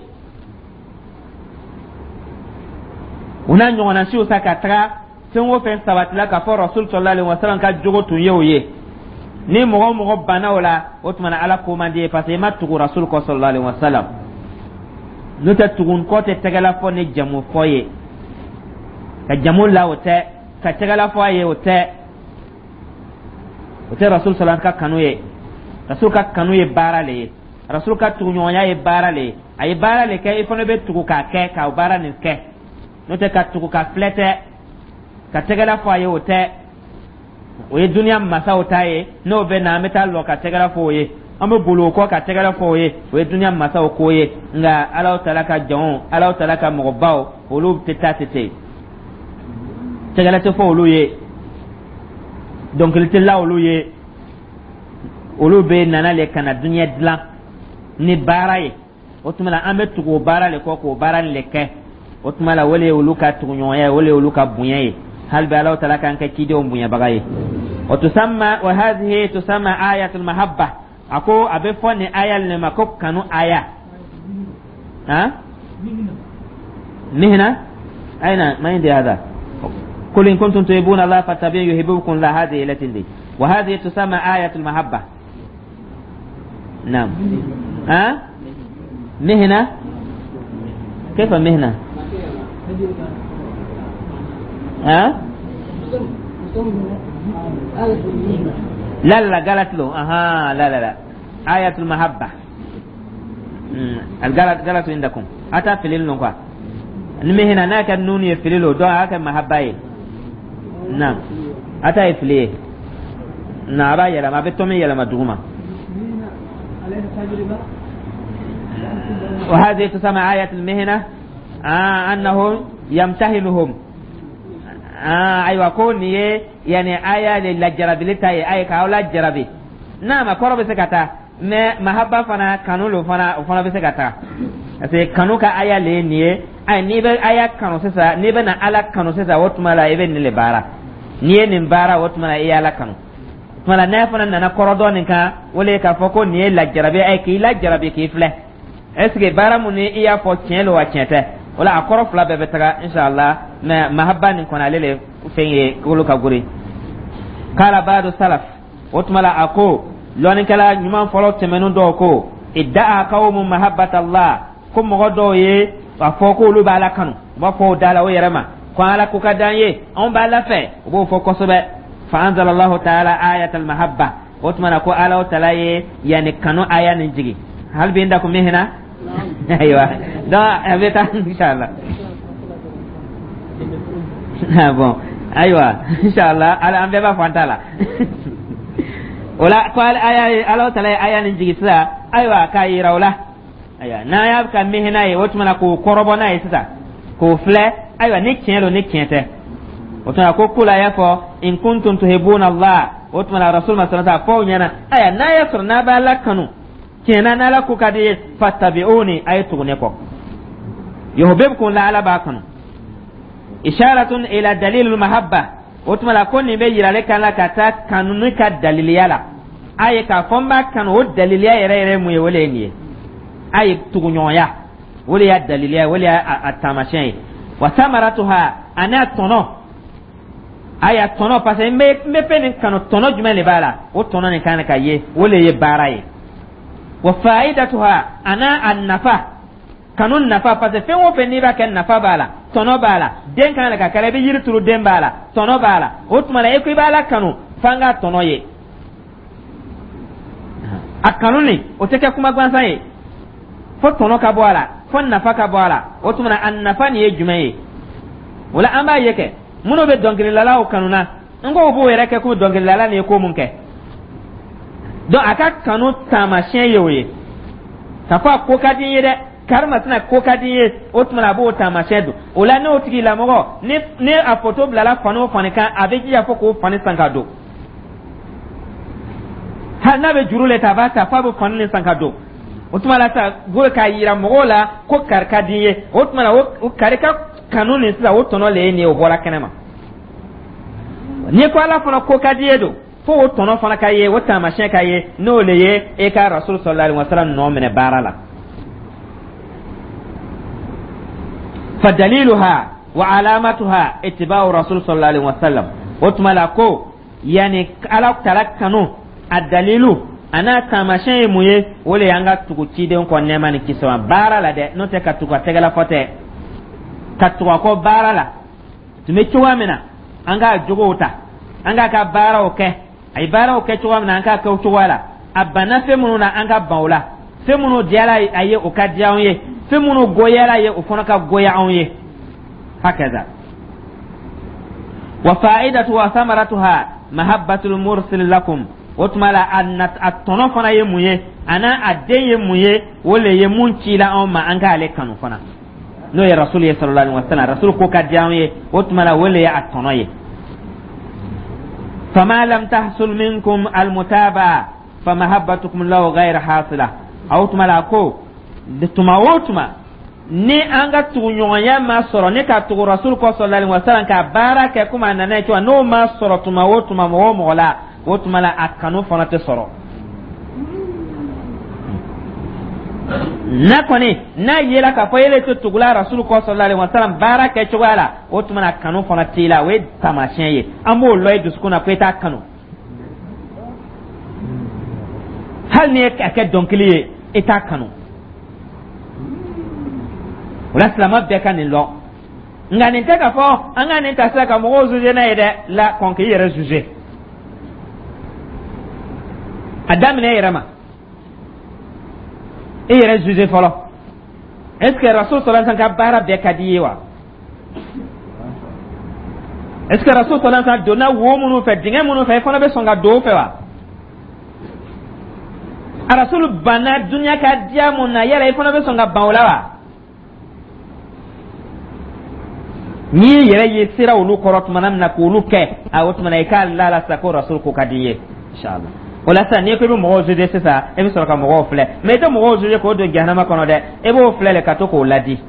S1: O n'a ɲɔgɔnna siw sa, ka taga fɛn o fɛn sabatila k'a fɔ Rasul sallallahu alaihi wasallam ka jogo tun ye o ye, ni mɔgɔ o mɔgɔ banna o la, o tuma na Ala ko man di ye, parce que i ma tugu Rasul kɔ sallallahu alaihi wasallam. N'o tɛ, tugun kɔ tɛ tɛgɛla fɔ ni jamu fɔ ye. Ka jamu la, o tɛ. Ka tɛgɛla fɔ a ye, o tɛ. O tɛ Rasul sallallahu ka kanu ye. Rasul ka kanu ye baara le ye. Rasul ka tuguɲɔgɔnya ye baara le ye. A ye baara le kɛ, i fana bɛ tugu k'a kɛ, ka baara nin kɛ. N'o tɛ, ka tugu ka filɛ tɛ, ka tɛgɛla fɔ a ye, o tɛ. O ye duniya masaw ta ye. N'o bɛ na, an bɛ taa lɔ ka tɛgɛla fɔ o ye, an bɛ boli o kɔ ka tɛgɛla fɔ o ye. O ye duniya masaw ko ye. Nka Alaw taala ka jɔnw, Alaw taala ka mɔgɔbaw, olu tɛ taa tɛ ten. Tɛgɛla tɛ fɔ olu ye, dɔnkili tɛ la olu ye. Olu bɛ nana le ka na duniya dilan ni baara ye. O tuma la, an bɛ tugu o baara le kɔ k'o baara le kɛ. O tuma la, o le ye olu ka tuguɲɔgɔnya ye, o le ye olu ka bonya ye. Hali bi, Alaw taala k'an kɛ cidenw bonyabaga ye. O tusamma wa hadhihi tusamma ayatul mahabba. A ko a bɛ fɔ nin aya le ma ko kanu aya. Han, mihna aina ma indi hada قل إن كنتم تحبون الله فاتبعوني يحببكم الله. هذه التي دي وهذه تسمى آية المحبة. نعم، ها، مهنة، كيف مهنة؟ ها، لا لا، قالت له اها، لا لا لا، آية المحبة. القالت قالت عندكم أتى في ليل مهنة ناك النون يفللو دو هكا محبة. نعم، أتى يفليه نعم يلا ما بتومي يلا ما دوما. وهذه تسمى آية المهنة أنه يمتهنهم. أيوة، كون يعني آية للجربي لتاي آية كاولا جربي. نعم، كورو بسكتا mais mahaba fana, kanu lo fana, o fana bɛ se ka taa, parce que kanu ka aya le ye nin ye. Ayi, n'i bɛ aya kanu sisan, n'i bɛ na Ala kanu sisan, o tuma la i bɛ nin le baara. N'i ye nin baara, o tuma la i ye Ala kanu. O tuma la, n'a fana nana kɔrɔ dɔ nin kan, o le ye k'a fɔ ko nin ye lajarabi ye, k'i lajarabi, k'i filɛ, est ce que baara mun ni i y'a fɔ tiɲɛ lo wa tiɲɛ tɛ. O la, a kɔrɔ fila bɛɛ bɛ taga inshallah. Mais mahaba nin kɔni, ale le fɛn ye kolo ka gori. Kala baadu salaf, o tuma la a ko lɔnnikɛla ɲuman fɔlɔ tɛmɛnen dɔw ko idda'a qawmu mahabbatallah, ko mɔgɔ dɔw ye a fɔ ko olu b'Ala kanu. U b'a fɔ o da la o yɛrɛ ma ko Ala ko ka d'an ye, anw b'Ala fɛ. U b'o fɔ kosɛbɛ. Fa anzalallahu ta'ala ayatal mahabba. O tuma na ko Ala taala ye yani kanu aya nin jigi. Hal bi indakum mihna? Ayiwa, donc a bɛ taa inshallah. Bon, ayiwa, inshallah, ala an bɛɛ b'a fɔ an ta la. O la, ko aya ye, Ala taala ye aya nin jigi sisan, ayiwa, k'a yira o la. Ayiwa, n'an y'a ka mihina ye, o tuma na k'o kɔrɔbɔ n'a ye sisan, k'o filɛ, ayiwa, ni tiɲɛ don ni tiɲɛ tɛ. O tuma ko kula y'a fɔ in kuntum tuhibbuna Allah. O tuma na Rasul ma sɔrɔ fɔ o ɲɛna, ayiwa, n'a y'a sɔrɔ n'a bɛ Ala kanu tiɲɛ na, n'Ala ko ka di ye, fattabi'uni, a ye tugu ne kɔ, yuhibbukum la, Ala b'a kanu. Isharatun ila dalilul mahabba. O tuma la ko nin bɛ yirale kan la ka taa kanuni ka daliliya la. A ye k'a fɔ n b'a kanu, o daliliya yɛrɛ yɛrɛ mun ye? O le ye nin ye. A ye tuguɲɔgɔnya, o de y'a daliliya ye, o de y'a taamasiyɛn ye. Wa samaratuha, a n'a tɔnɔ. Aya tɔnɔ, parce que n bɛ fɛn nin kanu, tɔnɔ jumɛn de b'a la? O tɔnɔ nin kan ka ye, o le ye baara ye. Wa faidatuha, ana a nafa, kanu nafa, parce que fɛn o fɛn n'i b'a kɛ, nafa b'a la, tɔnɔ b'a la. Den kan ka kɛra, i bɛ yiri turu, den b'a la, tɔnɔ b'a la. O tuma na, e ko i b'a la kanu, f'an k'a tɔnɔ ye. A kanu nin, o tɛ kɛ kuma gansan ye, fo tɔnɔ ka bɔ a la, fo nafa ka bɔ a la. O tuma na, a nafa nin ye jumɛn ye? O la, an b'a ye kɛ minnu bɛ dɔnkilidalaw kanu na, n ko u b'o yɛrɛ kɛ komi dɔnkilidala nin ye ko mun kɛ. Donc a ka kanu taamasiyɛn ye o ye, k'a fɔ a ko ka di n ye dɛ, karimasina ko ka di n ye. O tuma na, a b'o taamasiyɛn don o la. N'o tigilamɔgɔ ni a foto bilala fani o fani kan, a bɛ jija fo k'o fani san ka don. Hali n'a bɛ juru le ta, a b'a ta f'a bɛ fani nin san ka don. O tuma la sa, k'a yira mɔgɔw la ko kari ka di n ye. O tuma na, o kari ka kanu nin sisan, o tɔnɔ le ye nin ye, o bɔra kɛnɛ ma. N'i ko Ala fana ko ka di ye don, fo o tɔnɔ fana ka ye, o taamasiyɛn ka ye, n'o le ye e ka Rasul sallallahu alaihi wa sallam nɔ minɛ baara la. Fa daliluha wa alamatuha ittiba'u rasul sallallahu alaihi wa sallam. O tuma la ko yani Ala tala kanu, a dalilu a n'a taamasiyɛn ye mun ye? O le y'an ka tugu ciden kɔ, nɛɛma ni kisi ma, baara la dɛ. N'o tɛ ka tugu a tɛgɛla fɔ tɛ, ka tugu a kɔ baara la. Tun bɛ cogoya min na, an k'a jogow ta, an k'a ka baaraw kɛ. A ye baaraw kɛ cogoya min na, an k'a kɛ o cogoya la. A banna fɛn minnu na, an ka ban o la. Fɛn minnu diyara a ye, o ka diya anw ye. Fɛn minnu goyara a ye, o fana ka goya anw ye. Hakaza wa fa'idatu wa samaratuha mahabbatul mursil lakum. O tuma la, a tɔnɔ fana ye mun ye, a n'a a den ye mun ye? O le ye mun cila anw ma, an k'ale kanu fana, n'o ye Rasul ye sallallahu alaihi wasallam. Rasul ko ka diya anw ye. O tuma la, o le ye a tɔnɔ ye. Fama lam tahsul minkum almutaba famahabbatukum lahu ghayr hasila. O tuma la ko tuma o tuma ni an ka tuguɲɔgɔnya ma sɔrɔ, ne ka tugu Rasul kɔ sallallahu alaihi wasallam, ka baara kɛ komi a nana ye cogo, n'o ma sɔrɔ tuma o tuma mɔgɔ o mɔgɔ la, o tuma la a kanu fana tɛ sɔrɔ. N'a kɔni n'a yela k'a fɔ ele tɛ tugula Rasul kɔ sallallahu alaihi wasallam baara kɛ cogoya la, o tuma na kanu fana t'i la. O ye taamasiyɛn ye, an b'o lɔn i dusukun na ko i t'a kanu. Hali n'i ye a kɛ dɔnkili ye, i t'a kanu. O la, silamɛ bɛɛ ka nin lɔn. Nka nin tɛ k'a fɔ an ka nin ta sisan ka mɔgɔw juger n'a ye dɛ. La kɔn k'i yɛrɛ juger, a daminɛ e yɛrɛ ma, e yɛrɛ juger fɔlɔ. Est ce que Rasul sallallahu alaihi wasallam ka baara bɛɛ ka di i ye wa? Est ce que Rasul sallallahu alaihi wasallam donna wo minnu fɛ, dingɛ minnu fɛ, i fana bɛ sɔn ka don o fɛ wa? A Rasul banna dunuya ka diya mun na, yala i fana bɛ sɔn ka ban o la wa? N'i y'i yɛrɛ ye sira olu kɔrɔ tuma min na k'olu kɛ, a o tuma na i k'a la la sisan ko Rasul ko ka di i ye, inshallah. O la sisan, n'i ko i bɛ mɔgɔw juger sisan, e bɛ sɔrɔ ka mɔgɔw filɛ, mais i tɛ mɔgɔw juger k'o don jahanama kɔnɔ dɛ. E b'o filɛ le ka to k'o ladi.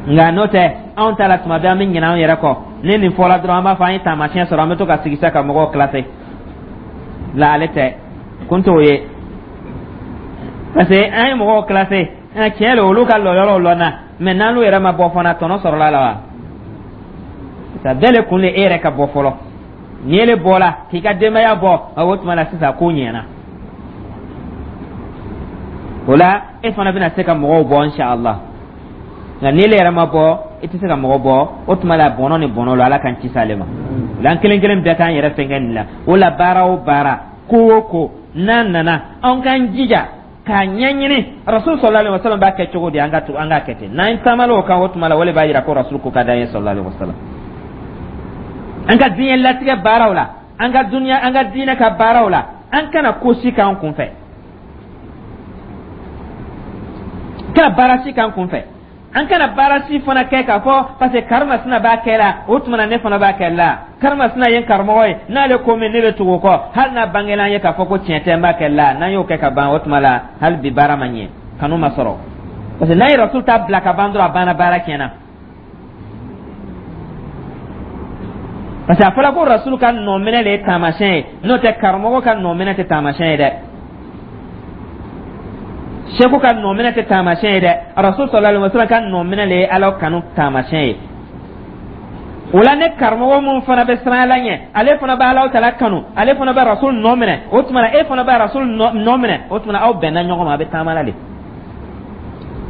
S1: Nka n'o tɛ, anw ta la, tuma bɛɛ an bɛ ɲinɛ anw yɛrɛ kɔ. Ni nin fɔra dɔrɔn, an b'a fɔ an ye taamasiyɛn sɔrɔ, an bɛ to ka sigi sa ka mɔgɔw classer la. Ale tɛ kun t'o ye, parce que an ye mɔgɔw classer, tiɲɛ don, olu ka lɔyɔrɔw lɔnna, mais n'olu yɛrɛ ma bɔ fana, tɔnɔ sɔrɔla la wa? Sa bɛɛ le kun le e yɛrɛ ka bɔ fɔlɔ. Ni ele bɔra k'i ka denbaya bɔ, o tuma la sisan ko ɲɛna. O la, e fana bɛna se ka mɔgɔw bɔ, inshallah. Nka n'ele yɛrɛ ma bɔ, i tɛ se ka mɔgɔ bɔ. O tuma la, bɔnɔ ni bɔnɔ la, Ala k'an kisi ale ma. O la, an kelen kelen bɛɛ k'an yɛrɛ fɛnkɛ nin la. O la, baara o baara, ko o ko n'a nana, anw k'an jija k'a ɲɛɲini Rasul sallallahu alaihi wasallam b'a kɛ cogo di, an ka to an k'a kɛ ten. N'an taamala o kan, o tuma la, o de b'a yira ko Rasul ko ka d'an ye sallallahu alaihi wasallam. An ka diɲɛ latigɛ baaraw la, an ka duniya, an ka diinɛ ka baaraw la, an kana ko si k'an kunfɛ, kana baara si k'an kunfɛ. An kana baara si fana kɛ k'a fɔ parce que karimasina b'a kɛ la, o tuma na ne fana b'a kɛ la. Karimasina ye n karamɔgɔ ye, n'ale ko min, ne bɛ tugu o kɔ, hali n'a bangela an ye k'a fɔ ko tiɲɛ tɛ, n b'a kɛ la. N'an y'o kɛ ka ban, o tuma la hali bi baara ma ɲɛ, kanu ma sɔrɔ, parce que n'an ye Rasul ta bila ka ban dɔrɔn, a banna, baara tiɲɛna. Parce que a fɔra ko Rasul ka nɔminɛ de ye taamasiyɛn ye, n'o tɛ karamɔgɔ ka nɔminɛ tɛ taamasiyɛn ye dɛ, seku ka nɔminɛ tɛ taamasiyɛn ye dɛ. Rasul sallallahu alaihi wasallam ka nɔminɛ de ye Ala kanu taamasiyɛn ye. O la, ne karamɔgɔ mun fana bɛ siran Ala ɲɛ, ale fana bɛ Alahu Taala kanu, ale fana bɛ Rasul nɔ minɛ, o tuma na e fana bɛ Rasul nɔ minɛ, o tuma na aw bɛnna ɲɔgɔn ma, a bɛ taama la de,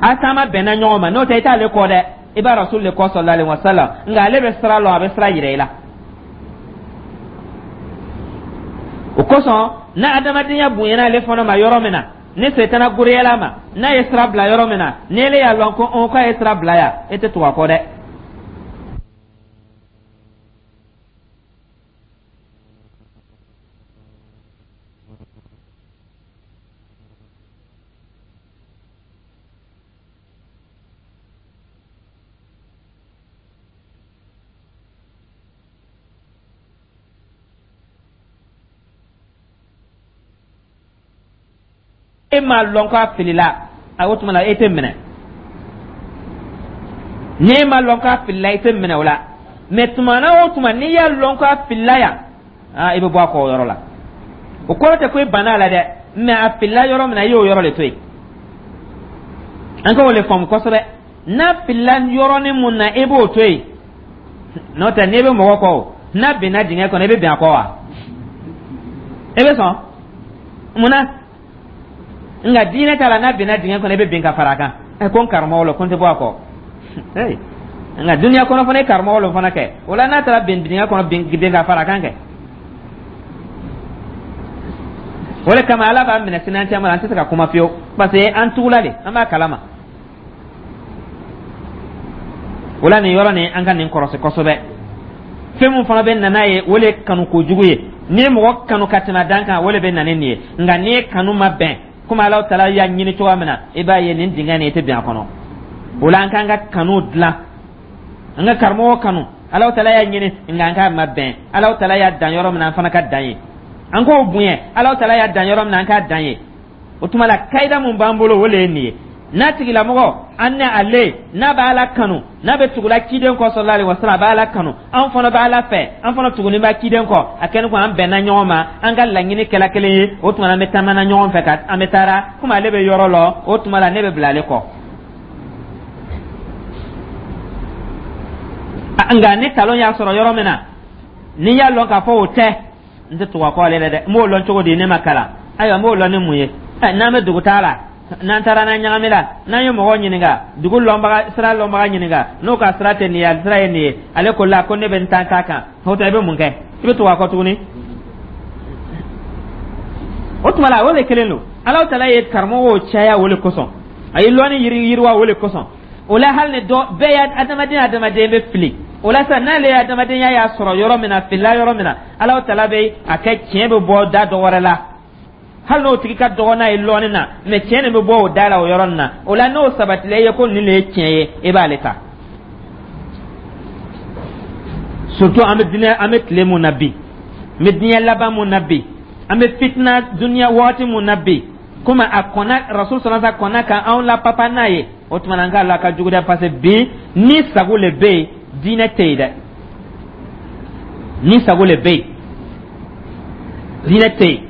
S1: a taama bɛnna ɲɔgɔn ma. N'o tɛ, i t'ale kɔ dɛ, i b'a Rasul de kɔ sallallahu alaihi wasallam. Nka ale bɛ sira lɔn, a bɛ sira yira i la. O kosɔn, n'a adamadenya bonyana ale fana ma yɔrɔ min na, ni setana goreyala ma, n'a ye sira bila yɔrɔ min na, ni ele y'a lɔn ko ɔn k'a ye sira bila yan, e tɛ tugu a kɔ dɛ. E m'a lɔn k'a filila a, o tuma na e tɛ minɛ. N'e m'a lɔn k'a filila, i tɛ minɛ o la. Mɛ tuma na o tuma, n'i y'a lɔn k'a filila yan, aa, i bɛ bɔ a kɔ o yɔrɔ la. O kɔrɔ tɛ ko i banna a la dɛ, mɛ a filila yɔrɔ min na, i y'o yɔrɔ de to yen. An ka o le faamu kosɛbɛ. N'a filila yɔrɔnin mun na, i b'o to yen. N'o tɛ, n'i bɛ mɔgɔ kɔ o, n'a binna dingɛ kɔnɔ, i bɛ bin a kɔ wa? E bɛ sɔn mun na? Nka diinɛ ta la, n'a binna dingɛ kɔnɔ, i bɛ bin ka fara a kan. Ɛ, ko n karamɔgɔ lo, ko n tɛ bɔ a kɔ. Nka duniya kɔnɔ fana, ye karamɔgɔ lo fana kɛ. O la, n'a taara bin dingɛ kɔnɔ, bin ka fara a kan kɛ. O de kama Ala b'a minɛ sini an caman, an tɛ se ka kuma fiyewu, parce que an tugula de, an b'a kalama. O la, nin yɔrɔ nin, an ka nin kɔrɔsi kosɛbɛ. Fɛn mun fana bɛ na n'a ye, o le ye kanu kojugu ye. N'i ye mɔgɔ kanu ka tɛmɛ dan kan, o le bɛ na ni nin ye. Nka n'i ye kanu ma bɛn komi Ala Taala y'a ɲini cogoya min na, i b'a ye nin dingɛ nin, i tɛ bin a kɔnɔ. O la, an k'an ka kanu dilan, an ka karamɔgɔ kanu, Ala Taala y'a ɲini, nka an k'a ma bɛn. Ala Taala y'a dan yɔrɔ min na, an fana ka dan ye. An k'o bonya. Ala Taala y'a dan yɔrɔ min na, an k'a dan ye. O tuma la, kayida mun b'an bolo, o le ye nin ye. N'a tigilamɔgɔ, an ni ale, n'a b'a la kanu, n'a bɛ tugula ciden kɔ sallallahu alaihi wasallam, a b'a la kanu, an fana b'a la fɛ, an fana tugunin b'a ciden kɔ, a kɛni ko an bɛnna ɲɔgɔn ma, an ka laɲini kɛla kelen ye, o tuma na an bɛ taamana ɲɔgɔn fɛ, ka an bɛ taara komi ale bɛ yɔrɔ lɔ, o tuma la ne bɛ bila ale kɔ. Nka ni talon y'a sɔrɔ yɔrɔ min na, n'i y'a lɔn k'a fɔ o tɛ, n tɛ tugu a kɔ ale la dɛ. N b'o lɔn cogo di? Ne ma kalan. Ayiwa, n b'o lɔn ni mun ye? N'an bɛ dugu taa la, n'an taara, n'an ɲagami la, n'an ye mɔgɔ ɲininka, dugu lɔnbaga, sira lɔnbaga ɲininka, n'o ka sira tɛ nin ye, a sira ye nin ye, ale ko la ko ne bɛ n ta ta kan, o tɛ, i bɛ mun kɛ? I bɛ tugu a kɔ tuguni. O tuma la, o de kelen don. Alahu Taala ye karamɔgɔw caya o de kosɔn, a ye lɔnni yiriwa o de kosɔn. O la, hali ni dɔ bɛɛ ye adamaden, adamaden bɛ fili. O la sisan, n'ale ye adamadenya y'a sɔrɔ yɔrɔ min na, filila yɔrɔ min na, Alahu Taala bɛ a kɛ tiɲɛ bɛ bɔ da dɔ wɛrɛ la, hali n'o tigi ka dɔgɔ n'a ye lɔɔni na, mɛ tiɲɛ nin bɛ bɔ o da la o yɔrɔ nin na. O la, n'o sabatila i ye ko nin de ye tiɲɛ ye, i b'ale ta. Surtout an bɛ diinɛ, an bɛ tile mun na bi, an bɛ diɲɛ laban mun na bi, an bɛ fitina duniya waati mun na bi, komi a kɔnna Rasul sallallahu alaihi wasallam kɔnna ka anw la papa n'a ye, o tuma na an k'a la ka jugu dɛ, parce que bi ni sago le bɛ yen, diinɛ tɛ yen dɛ. Ni sago le bɛ yen, diinɛ tɛ yen.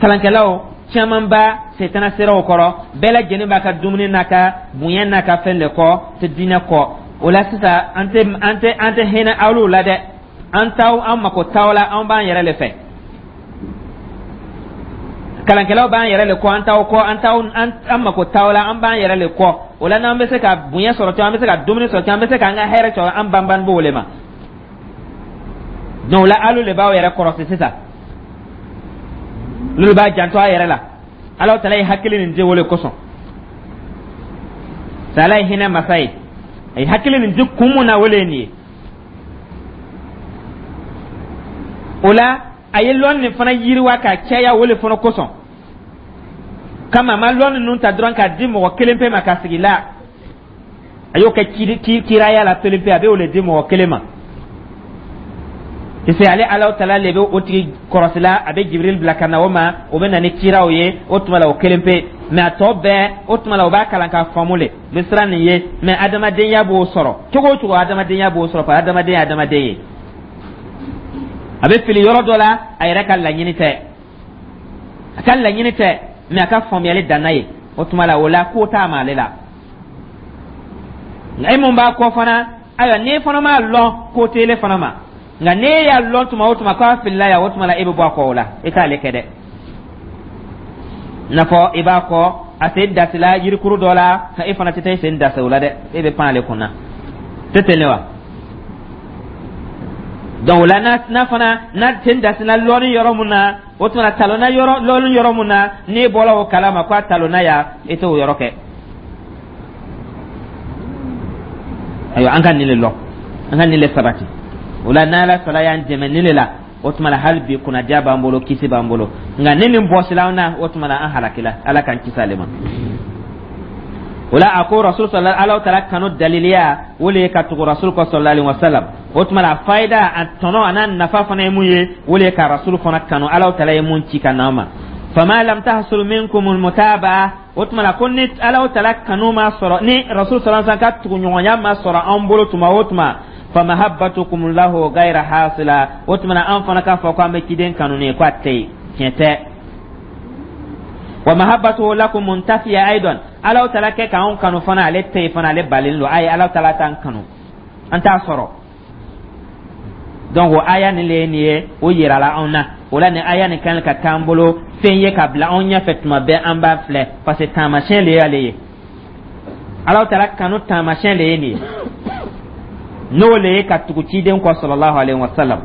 S1: Kalankɛlaw caman b'a setana siraw kɔrɔ, bɛɛ lajɛlen b'a ka dumuni n'a ka bonya n'a ka fɛn de kɔ, tɛ diinɛ kɔ. O la sisan, an tɛ hinɛ awluw la dɛ. An t'aw, an mako t'aw la, an b'an yɛrɛ le fɛ. Kalankɛlaw b'an yɛrɛ le kɔ, an t'aw kɔ, an t'aw, an mako t'aw la, an b'an yɛrɛ le kɔ. O la, n'an bɛ se ka bonya sɔrɔ cogo, an bɛ se ka dumuni sɔrɔ cogo, an bɛ se k'an ka hɛrɛ sɔrɔ, an banban b'o le ma. Donc o la, alu le b'aw yɛrɛ kɔrɔsi sisan, n'olu b'a janto a yɛrɛ la. Ala Taala ye hakili nin di o le kosɔn. Ala ye hinɛ masa ye, a ye hakili nin di kun mun na, o le ye nin ye. O la, a ye lɔnni nin fana yiriwa ka caya o le fana kosɔn. Kama a ma lɔnni ninnu ta dɔrɔn k'a di mɔgɔ kelen pe ma ka sigi la. A y'o kɛ kiraya la kelen pe, a bɛ o le di mɔgɔ kelen ma. Parce que ale Ala Taala le bɛ o tigi kɔrɔsi la, a bɛ Jibril bila ka na o ma, o bɛ na ni kiraw ye. O tuma la, o kelen pe, mɛ a tɔ bɛɛ, o tuma la, o b'a kalan k'a faamu le, n bɛ siran nin ye. Mɛ adamadenya b'o sɔrɔ cogo o cogo, adamadenya b'o sɔrɔ, parce que adamadenya ye adamadenya ye, a bɛ fili yɔrɔ dɔ la, a yɛrɛ ka laɲini tɛ, a ka laɲini tɛ, mɛ a ka faamuyali danna ye. O tuma la, o la ko t'a ma ale la. Nka e mun b'a kɔ fana, Ayiwa, n'e fana m'a lɔn, ko t'ele fana ma. Nka n'e y'a lɔn tuma o tuma k'a filila yan, o tuma la e bɛ bɔ a kɔ o la, e t'ale kɛ dɛ. I n'a fɔ i b'a kɔ, a sen dasila yirikuru dɔ la, e fana tɛ taa i sen dasi o la dɛ, e bɛ pan ale kunna tɛ ten wa. Donc o la, n'a fana n'a sen dasila lɔɔni yɔrɔ mun na, o tuma na talonna yɔrɔ lɔɔni yɔrɔ mun na, n'e bɔra o kalama ko a talonna yan, e t'o yɔrɔ kɛ. Ayiwa, an ka nin le lɔn, an ka nin le sabati. O la, n'Ala sala y'an dɛmɛ nin le la, o tuma na hali bi kunnadiya b'an bolo, kisi b'an bolo. Nka ni nin bɔsila an na, o tuma na an halakila. Ala k'an kisi ale ma. O la, a ko Rasul sɔlɔ, Ala taala kanu daliliya, o le ye ka tugu Rasul kɔ sɔlɔ alayhi wa sallam. O tuma na a fayida, a tɔnɔ, a n'a nafa fana ye mun ye? O le ye ka Rasul fana kanu, Ala taala ye mun ci ka na an ma. Fama lam tahsul minkum almutabaa, o tuma na ko ni Ala taala kanu ma sɔrɔ, ni Rasul sɔlɔ sallam ka tuguɲɔgɔnya ma sɔrɔ an bolo tuma o tuma, famahabbatukum lahu gayra hasila, o tuma na an fana k'a fɔ ko an bɛ ciden kanu ni ko a tɛ yen, tiɲɛ tɛ. Wa mahabbatuhu lakum muntafiya aidan, Ala taala kɛ k'anw kanu fana, ale tɛ yen fana, ale balen don. Ayi, Ala taala t'an kanu, an t'a sɔrɔ. Donc o aya nin le ye nin ye, o yirala anw na. O la, nin aya nin kan ka k'an bolo fɛn ye ka bila anw ɲɛfɛ tuma bɛɛ, an b'a filɛ, parce que taamasiyɛn le y'ale ye. Ala taala kanu taamasiyɛn le ye nin ye, n'o le ye ka tugu ciden kɔ sallallahu alaihi wa sallam.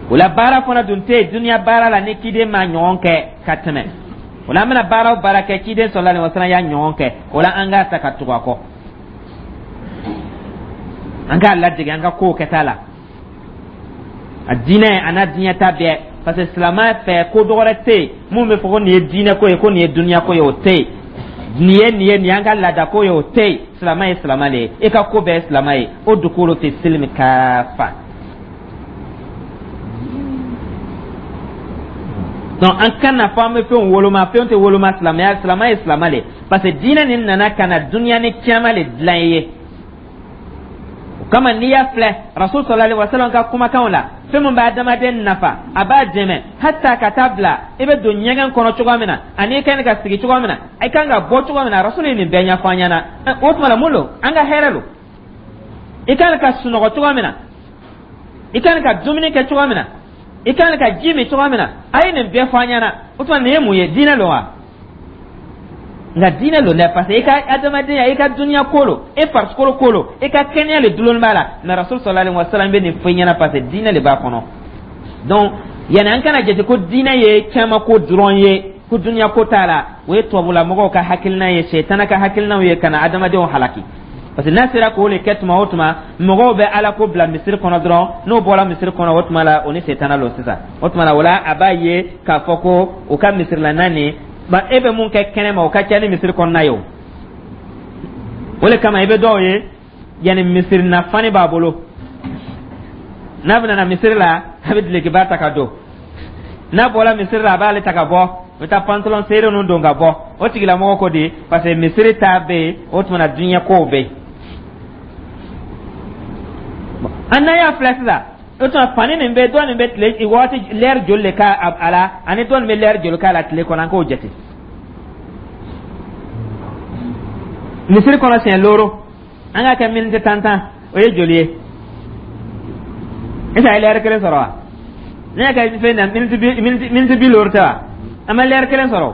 S1: O la, baara fana dun tɛ yen duniya baara la ni ciden ma ɲɔgɔn kɛ ka tɛmɛ. O la, an bɛna baara o baara kɛ, ciden sallallahu alaihi wa sallam y'a ɲɔgɔn kɛ. O la, an k'a ta ka tugu a kɔ, an k'a ladege an ka kow kɛta la, a diinɛ a n'a diɲɛ ta bɛɛ, parce que silamɛ fɛ, ko dɔ wɛrɛ tɛ yen mun bɛ fɔ ko nin ye diinɛ ko ye, ko nin ye duniya ko ye, o tɛ yen. Nin ye nin ye, nin y'an ka laada ko ye, o tɛ yen. Silamɛ ye silamɛ de ye, e ka ko bɛɛ ye silamɛ ye. Udukulu fi silimi kafa. Donc an kana fɔ an bɛ fɛnw woloma, fɛnw tɛ woloma silamɛya. Silamɛ ye silamɛ de ye, parce que diinɛ nin nana ka na duniya ni kiyama de dilan i ye. O kama, n'i y'a filɛ Rasul sallallahu alaihi wasallam ka kumakanw la, fɛn min bɛ adamaden nafa, a b'a dɛmɛ hata ka taa bila i bɛ don ɲɛgɛn kɔnɔ cogoya min na, ani i kan ka sigi cogoya min na, i kan ka bɔ cogoya min na, Rasul ye nin bɛɛ ɲɛfɔ an ɲɛna. O tuma la, mun don? An ka hɛrɛ don. I kan ka sunɔgɔ cogoya min na, i kan ka dumuni kɛ cogoya min na, i kan ka ji min cogoya min na, a ye nin bɛɛ fɔ an ɲɛna. O tuma, nin ye mun ye? Diinɛ don wa? Nka diinɛ don dɛ, parce que i ka adamadenya, i ka duniya ko lo, e farikolo ko lo, i ka kɛnɛya le dulonni b'a la. Mais Rasul sallallahu alaihi wasallam bɛ nin fɔ i ɲɛna, parce que diinɛ de b'a kɔnɔ. Donc yanni an kana jate ko diinɛ ye caman ko dɔrɔn ye, ko duniya ko t'a la, o ye tubabulamɔgɔw ka hakilina ye, sɛtana ka hakilinaw ye ka na adamadenw halaki, parce que n'a sera k'o le kɛ tuma o tuma, mɔgɔw bɛ Ala ko bila misiri kɔnɔ dɔrɔn. N'o bɔra misiri kɔnɔ, o tuma la o ni sɛtana lo sisan. O tuma la, o la a b'a ye k'a fɔ ko o ka misirila nin ba, e bɛ mun kɛ kɛnɛ ma, o ka ca ni misiri kɔnɔna ye. O o le kama, i bɛ dɔw ye yanni misiri na fani b'a bolo, n'a bɛna na misiri la, a bɛ dulokiba ta ka don. N'a bɔra misiri la, a b'ale ta ka bɔ, a bɛ taa pantalon serré ninnu don ka bɔ. O tigilamɔgɔ ko di? Parce que misiri ta bɛ yen, o tuma na diɲɛ kow bɛ yen. An n'an y'a filɛ sisan, o tuma fani nin bɛ dɔ nin bɛ tile waati lɛri joli de k'a a la, ani dɔ nin bɛ lɛri joli k'a la tile kɔnɔ, an k'o jate. Misiri kɔnɔ siɲɛ looro, an k'a kɛ miniti tan tan, o ye joli ye? Est ce que a ye lɛri kelen sɔrɔ wa? Ne y'a kɛ fɛn na, miniti 50 tɛ wa? An ma lɛri kelen sɔrɔ.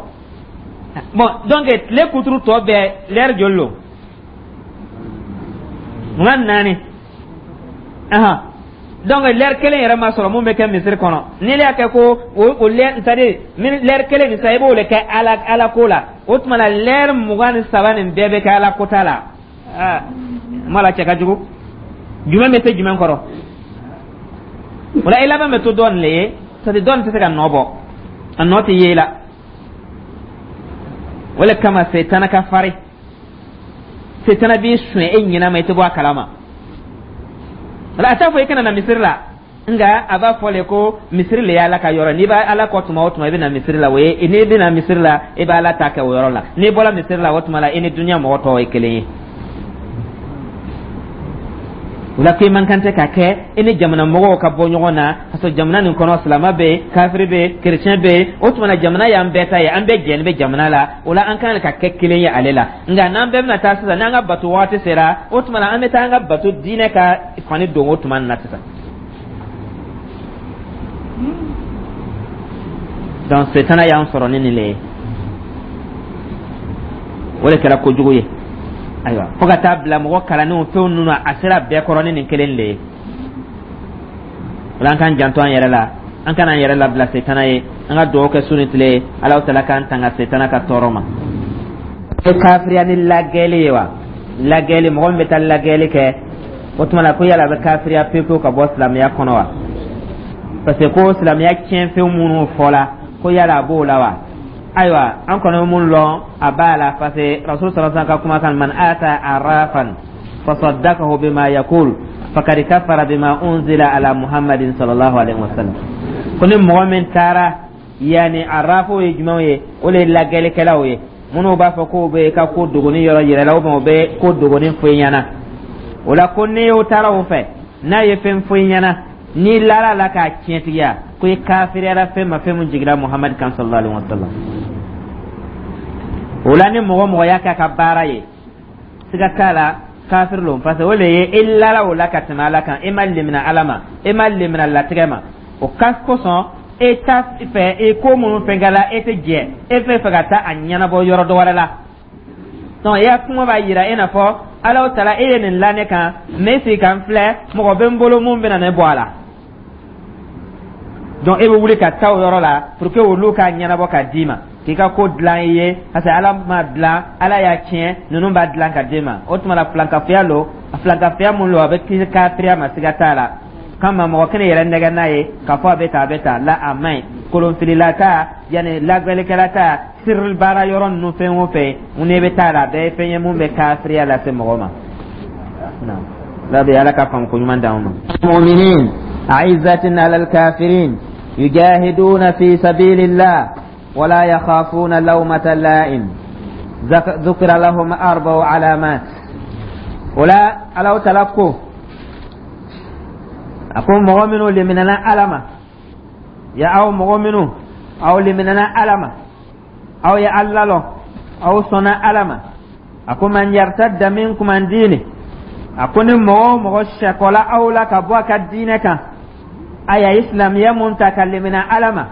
S1: Bon, donc tile kuturu tɔ bɛɛ, lɛri joli lo? 24. Ahan, donc lɛri kelen yɛrɛ ma sɔrɔ mun bɛ kɛ misiri kɔnɔ. N'i y'a kɛ ko o lɛri, c'est à dire lɛri kelen nin sa, i b'o de kɛ Ala ko la, o tuma na lɛri 23 nin bɛɛ bɛ kɛ Ala ko ta la. Aa, ma la cɛ ka jugu, jumɛn bɛ se jumɛn kɔrɔ? O la, i laban bɛ to dɔ nin le ye, c'est à dire dɔ nin tɛ se ka nɔ bɔ, a nɔ tɛ ye i la. O le kama setana ka farin, setana b'i suɲɛ e ɲinɛ ma, i tɛ bɔ a kalama. A t'a fɔ i kana na misiri la, nka a b'a fɔ le ko misiri le y'Ala ka yɔrɔ. N'i b'a Ala kɔ tuma o tuma, i bɛ na misiri la, o ye n'i bɛ na misiri la, i bɛ Ala ta kɛ o yɔrɔ la. N'i bɔra misiri la, o tuma la i ni dunuya mɔgɔ tɔw ye kelen ye. O la, ko i man kan tɛ ka kɛ i ni jamana mɔgɔw ka bɔ ɲɔgɔn na, ka sɔrɔ jamana nin kɔnɔ, silamɛ bɛ yen, kafiri bɛ yen, kerecɛn bɛ yen. O tuma na, jamana y'an bɛɛ ta ye, an bɛɛ jɛlen bɛ jamana la. O la, an kan ka kɛ kelen ye ale la. Nka n'an bɛɛ bɛna taa sisan, n'an ka bato waati sera, o tuma na, an bɛ taa an ka bato diinɛ ka fani don o tuma na sisan. Donc setana y'an sɔrɔ ni nin le ye, o de kɛra kojugu ye. Ayiwa, fo ka taa bila mɔgɔ kalannenw, fɛnw ninnu, a sera bɛɛ kɔrɔ ni nin kelen de ye. O la, an k'an janto an yɛrɛ la, an kana an yɛrɛ labila setana ye. An ka dugawu kɛ su ni tile ye, Alahu Taala k'an tanga setana ka tɔɔrɔ ma. E kafiriya ni lagɛli ye wa? Lagɛli, mɔgɔ min bɛ taa lagɛli kɛ, o tuma na, ko yala a bɛ kafiriya pewu pewu ka bɔ silamɛya kɔnɔ wa? Parce que ko silamɛya tiɲɛfɛn minnu fɔla, ko yala a b'o la wa? Ayiwa, an kɔni bɛ mun lɔn, a b'a la, parce que Rasul sallallahu alaihi wasallam ka kumakan: man ata arrafan fasaddaqahu bima yaqul faqad kafara bima unzila ala Muhammadin sallallahu alaihi wasallam. Ko ni mɔgɔ min taara, yani arrafo ye jumɛnw ye? O de ye lagɛlikɛlaw ye, minnu b'a fɔ k'o bɛ ka ko dogoni yɔrɔ yɛrɛ la, ou bien o bɛ ko dogoni fɔ i ɲɛna. O la, ko n'i y'o taara o fɛ, n'a ye fɛn fɔ i ɲɛna, n'i lara la k'a tiɲɛtigiya, ko i kafiriyara fɛn ma, fɛn min jiginra Muhamadu kan sallallahu alaihi wa sallam. O la, ni mɔgɔ mɔgɔ y'a k'a ka baara ye, siga t'a la, kafiri lo, parce que o de ye i lara o la ka tɛmɛ Ala kan, i ma lemina Ala ma, i ma lemina latigɛ ma. O ka kosɔn, e t'a fɛ i ko minnu fɛnkɛla, e tɛ jɛ, e fɛ fɛ ka taa a ɲɛnabɔ yɔrɔ dɔ wɛrɛ la. Donc i ya kuma b'a yira i n'a fɔ Ala taala, e ye nin la ne kan, mais e sigi ka n filɛ, mɔgɔ bɛ n bolo mun bɛna ne bɔ a la. Donc e bɛ wuli ka taa o yɔrɔ la pour que olu k'a ɲɛnabɔ ka d'i ma, k'i ka ko dilan i ye, parce que Ala ma dilan, Ala y'a tiɲɛ, ninnu b'a dilan ka d'i ma. O tuma la, filankafoya lo, filankafoya mun lo, a bɛ kisi kafiriya ma, siga t'a la. Kama mɔgɔ kelen yɛrɛ nɛgɛ n'a ye k'a fɔ a bɛ tan, a bɛ tan la, a man ɲi. Kolonfilila ta, yanni lagɛlikɛla ta, sirili baara yɔrɔ ninnu, fɛn o fɛn mun ne bɛ taa la, a bɛɛ ye fɛn ye mun bɛ kafiriya lase mɔgɔ ma. Rabi, Ala ka faamu ko ɲuman d'anw ma. Mu'minin a'izzatin 'alal kafirin yujahiduna fi sabilillah wala yakhafuna lawmata la'im dhukira lahum arba'u alamat. Wala Ala Taala ko, a ko mɔgɔ minnu leminana Ala ma, ya aw mɔgɔ minnu aw leminana Ala ma, aw ye Ala lɔn, aw sɔnna Ala ma, a ko man yartadda minkum an diini, a ko ni mɔgɔ o mɔgɔ sɛkɔla aw la ka bɔ a ka diinɛ kan, a y'a silamɛya mun ta ka lemina Ala ma,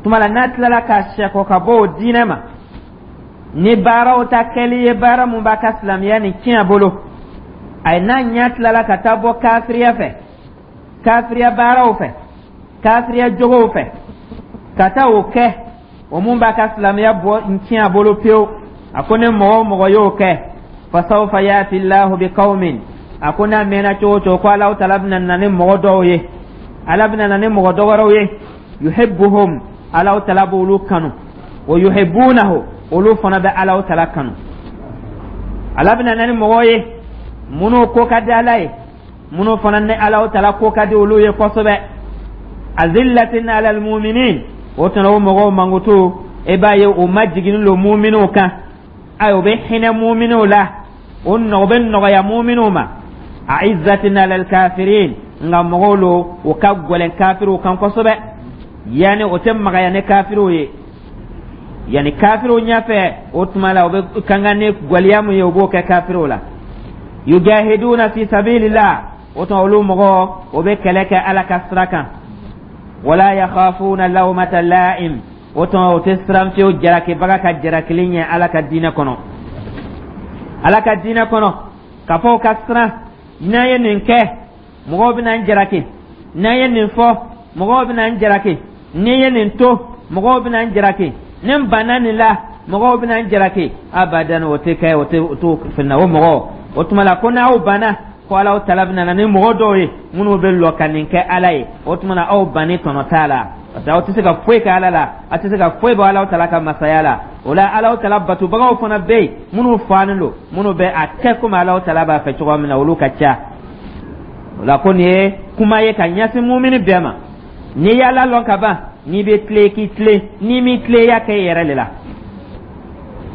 S1: tuma la n'a tilala ka sɛkɔ ka bɔ o diinɛ ma ni baaraw ta kɛli ye, baara mun b'a ka silamɛya nin tiɲɛ bolo, a ye n'a ɲɛ tilala ka taa bɔ kafiriya fɛ, kafiriya baaraw fɛ, kafiriya jogow fɛ, ka taa o kɛ, o mun b'a ka silamɛya bɔ n tiɲɛ a bolo pewu, a ko ni mɔgɔ o mɔgɔ y'o kɛ, fasawfa yati llahu bi qawmin, a ko n'a mɛnna cogo o cogo, ko Alahu Taala bɛna na ni mɔgɔ dɔw ye, Ala bɛna na ni mɔgɔ dɔ wɛrɛw ye, yuhibbuhum, Alahu Taala b'olu kanu, wa yuhibbunahu, olu fana bɛ Alahu Taala kanu. Ala bɛna na ni mɔgɔw ye minnu ko ka di Ala ye, minnu fana ni Alahu Taala ko ka di olu ye kosɛbɛ. Azillatin alal muminin, o tuma o mɔgɔw mankutu, e b'a ye o majiginnen lo muminiw kan, ayi, o bɛ hinɛ muminiw la, o nɔgɔ bɛ nɔgɔya muminiw ma. Aizzatin alal kafirin, nka mɔgɔw lo o ka gɛlɛn kafiriw kan kosɛbɛ, yanni o tɛ magaya ni kafiriw ye, yanni kafiriw ɲɛfɛ, o tuma la o bɛ kankan ni gwɛlɛya mun ye, o b'o kɛ kafiriw la. Yujahiduna fi sabilillah, o tuma olu mɔgɔ o bɛ kɛlɛ kɛ Ala ka sira kan. Wala yakhafuna lawmata la'im, o tuma o tɛ siran fiyewu jarakibaga ka jarakili ɲɛ Ala ka diinɛ kɔnɔ, Ala ka diinɛ kɔnɔ, k'a fɔ o ka siran n'an ye nin kɛ, mɔgɔw bɛna n jaraki, n'an ye nin fɔ, mɔgɔw bɛna n jaraki, ni ye nin to, mɔgɔw bɛna n jaraki, ni n banna nin la, mɔgɔw bɛna n jaraki. Abadan, o tɛ kɛ, o tɛ o t'o fɛn o mɔgɔ. O tuma la, ko n'aw banna, ko Alahu Taala bɛna na ni mɔgɔ dɔw ye minnu bɛ lɔ ka nin kɛ Ala ye. O tuma na, aw banni tɔnɔ t'a la, parce que aw tɛ se ka foyi kɛ Ala la, aw tɛ se ka foyi bɔ Alahu Taala ka masaya la. O la, Alahu Taala batobagaw fana bɛ yen minnu faalen don, minnu bɛ a kɛ komi Alahu Taala b'a fɛ cogoya min na, olu ka ca. O la, ko nin ye kuma ye ka ɲɛsin mumini bɛɛ ma. N'i y'Ala lɔn ka ban, n'i bɛ tilen, k'i tilen, n'i m'i tilen, i y'a kɛ i yɛrɛ de la.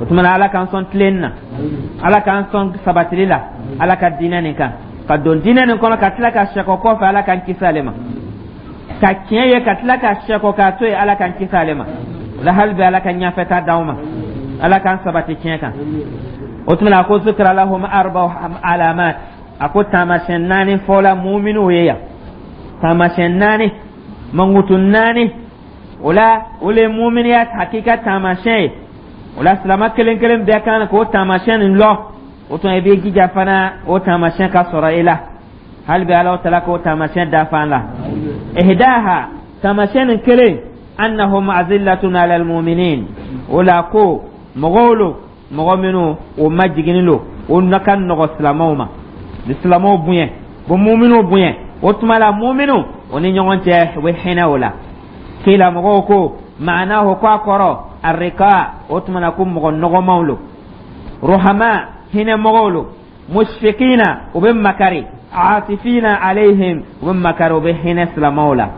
S1: O tuma na, Ala k'an sɔn tilen na, Ala k'an sɔn sabatili la Ala ka diinɛ nin kan. Ka don diinɛ nin kɔnɔ ka tila ka sɛkɔ kɔfɛ, Ala k'an kisi ale ma. Ka tiɲɛ ye ka tila ka sɛkɔ k'a to yen, Ala k'an kisi ale ma. O la, hali bi Ala ka ɲɛfɛta d'anw ma, Ala k'an sabati tiɲɛ kan. O tuma na, a ko: zikra lahum arba alamat. A ko taamasiyɛn naani fɔla muminiw ye yan, taamasiyɛn naani, mankutu naani. O la, o le ye muminiya hakika taamasiyɛn ye. O la, silama kelen kelen bɛɛ kan k'o taamasiyɛn nin lɔn. O tuma, i b'i jija fana o taamasiyɛn ka sɔrɔ i la. Hali bi Ala tala k'o taamasiyɛn dafa an la. Ihdaha, taamasiyɛn nin kelen, annahum azillatun ala almuminin. O la, ko mɔgɔw lo, mɔgɔ minnu o majiginin lo, o ka nɔgɔ silamɛw ma, ni silamɛw bonya, o muminiw bonya. O tuma la, muminiw o ni ɲɔgɔn cɛ, u bɛ hinɛ o la. Kila, mɔgɔw ko maanahu, ko a kɔrɔ arrika. O tuma na, ko mɔgɔ nɔgɔmaw lo, ruhama, hinɛ mɔgɔw lo, mushfiqina, u bɛ makari, atifina alayhim, u bɛ makari, u bɛ hinɛ silamɛw la.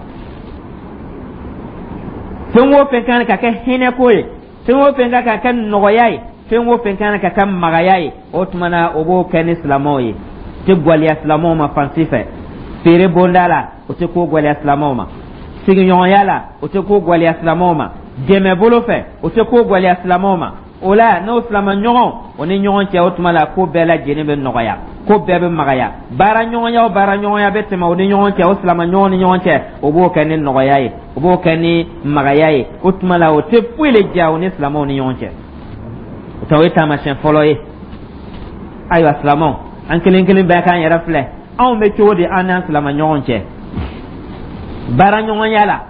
S1: Fɛn o fɛn kan ka kɛ hinɛ ko ye, fɛn o fɛn kan ka kɛ nɔgɔya ye, fɛn o fɛn kan ka kɛ magaya ye, o tuma na, o b'o kɛ ni silamɛw ye. Tɛ gwɛlɛya silamɛw ma fan si fɛ. Feere bonda la, o tɛ ko gwɛlɛya silamɛw ma. Sigiɲɔgɔnya la, o tɛ ko gwɛlɛya silamɛw ma. Dɛmɛ bolo fɛ, o tɛ ko gwɛlɛya silamɛw ma. O la, n'o silama ɲɔgɔn o ni ɲɔgɔn cɛ, o tuma la, ko bɛɛ lajɛlen bɛ nɔgɔya, ko bɛɛ bɛ magaya. Baara ɲɔgɔnya o baara ɲɔgɔnya bɛ tɛmɛ o ni ɲɔgɔn cɛ, o silama ɲɔgɔn ni ɲɔgɔn cɛ, o b'o kɛ ni nɔgɔya ye, o b'o kɛ ni magaya ye. O tuma la, o tɛ foyi le diya o ni silamɛw ni ɲɔgɔn cɛ. O ta, o ye taamasiyɛn fɔlɔ ye. Ayiwa silamɛw, an kelen kelen bɛɛ k'an yɛrɛ filɛ, anw bɛ cogo di an n'an silama ɲɔgɔn cɛ baara ɲɔgɔnya la,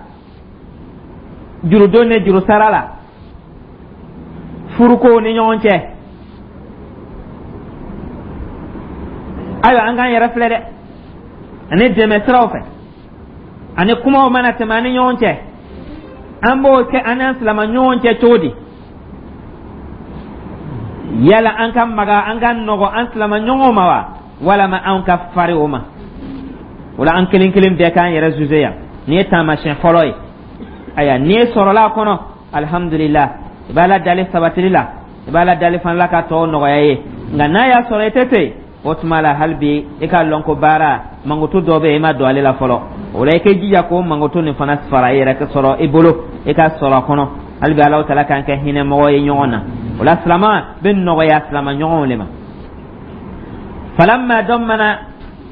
S1: jurudon ni jurusara la, furukow ni ɲɔgɔn cɛ? Ayiwa, an k'an yɛrɛ filɛ dɛ, ani dɛmɛ siraw fɛ, ani kumaw mana tɛmɛ an ni ɲɔgɔn cɛ, an b'o kɛ an n'an silama ɲɔgɔn cɛ cogo di? Yala an ka maga, an ka nɔgɔ an silama ɲɔgɔn ma wa, walama an ka fari o ma? O la, an kelen kelen bɛɛ k'an yɛrɛ zuze yan. Nin ye taamasiyɛn fɔlɔ ye. Ayiwa, n'i ye sɔrɔla a kɔnɔ, alihamudulila, i b'a la dali sabatili la, i b'a la dali fana la ka tɔw nɔgɔya ye. Nka n'a y'a sɔrɔ i tɛ ten, o tuma la, hali bi i k'a lɔn ko baara mankutu dɔ bɛ yen, i ma don ale la fɔlɔ. O la, i k'i jija k'o mankutu nin fana fara i yɛrɛ sɔrɔ i bolo, i ka sɔrɔ a kɔnɔ. Hali bi Alahu taala k'an kɛ hinɛ mɔgɔ ye ɲɔgɔn na. O la, silama bɛ nɔgɔya silama ɲɔgɔnw de ma. Falamma dammana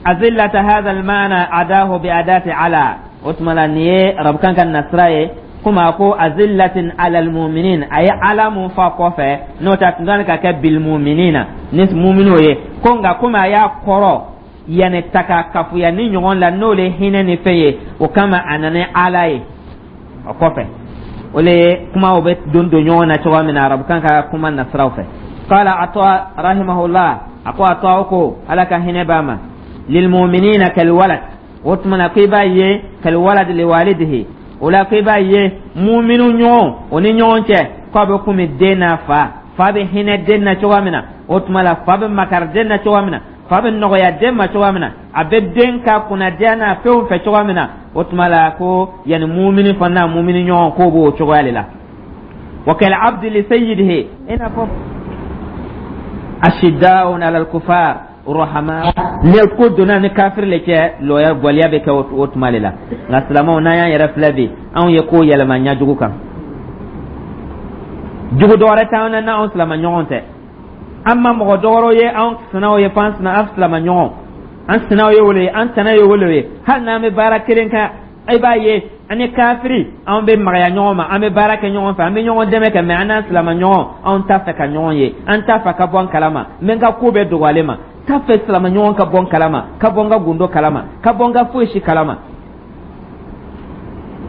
S1: azillata hadha almaana adahu bi adati ala. O tuma la, nin ye arabukan ka nasira ye, komi a ko azillatin ala almuminin, a ye ala mun fɔ a kɔfɛ, n'o tɛ a tun kan ka kɛ bilmuminina, ni muminw ye. Ko nka komi a y'a kɔrɔ yanni ta ka kafuya ni ɲɔgɔn la, n'o le hinɛ ni fɛn ye, o kama a nana ala ye o kɔfɛ. O le ye kumaw bɛ don don ɲɔgɔn na cogoya min na arabukan ka kuma nasiraw fɛ. Qala Ata rahimahullah, a ko Ata ko, Ala ka hinɛ b'a ma, lilmuminina kalwalad. O tuma na, ko i b'a ye kalwalad liwalidihi. O la, ko i b'a ye muminu ɲɔgɔn o ni ɲɔgɔn cɛ, k'a bɛ komi den n'a fa. Fa bɛ hinɛ den na cogoya min na, o tuma la, fa bɛ makari den na cogoya min na, fa bɛ nɔgɔya den ma cogoya min na, a bɛ den ka kunnadiya n'a fɛnw fɛ cogoya min na, o tuma la, ko yanni mumini fana n'a mumini ɲɔgɔn, k'o b'o cogoya de la. Wa kal abdi li sayyidihi, i n'a fɔ ashidda'un ala al-kufar ruhama. Ni ko donna ni kafiri le cɛ, lɔya gwɛlɛya bɛ kɛ o tuma de la. Nka silamɛw, n'an y'an yɛrɛ filɛ bi, anw ye ko yɛlɛma ɲajugu kan. Jugu dɔwɛrɛ t'anw na n'anw silama ɲɔgɔn tɛ. An ma mɔgɔ dɔwɛrɛw ye anw sinaw ye f'an sina an silama ɲɔgɔn. An sinaw ye wolo ye, an tana ye wolo ye. Hali n'an bɛ baara kelen kɛ, i b'a ye an ni kafiri, an bɛ magaya ɲɔgɔn ma, an bɛ baara kɛ ɲɔgɔn fɛ, an bɛ ɲɔgɔn dɛmɛ kɛ. Mɛ an n'an silama ɲɔgɔn, anw t'a fɛ ka ɲɔgɔn ye, an t'a fɛ ka bɔ an kalama. N bɛ n ka ko bɛɛ dogo ale ma, t'a fɛ silama ɲɔgɔn ka bɔ n kalama, ka bɔ n ka gundo kalama, ka bɔ n ka foyi si kalama.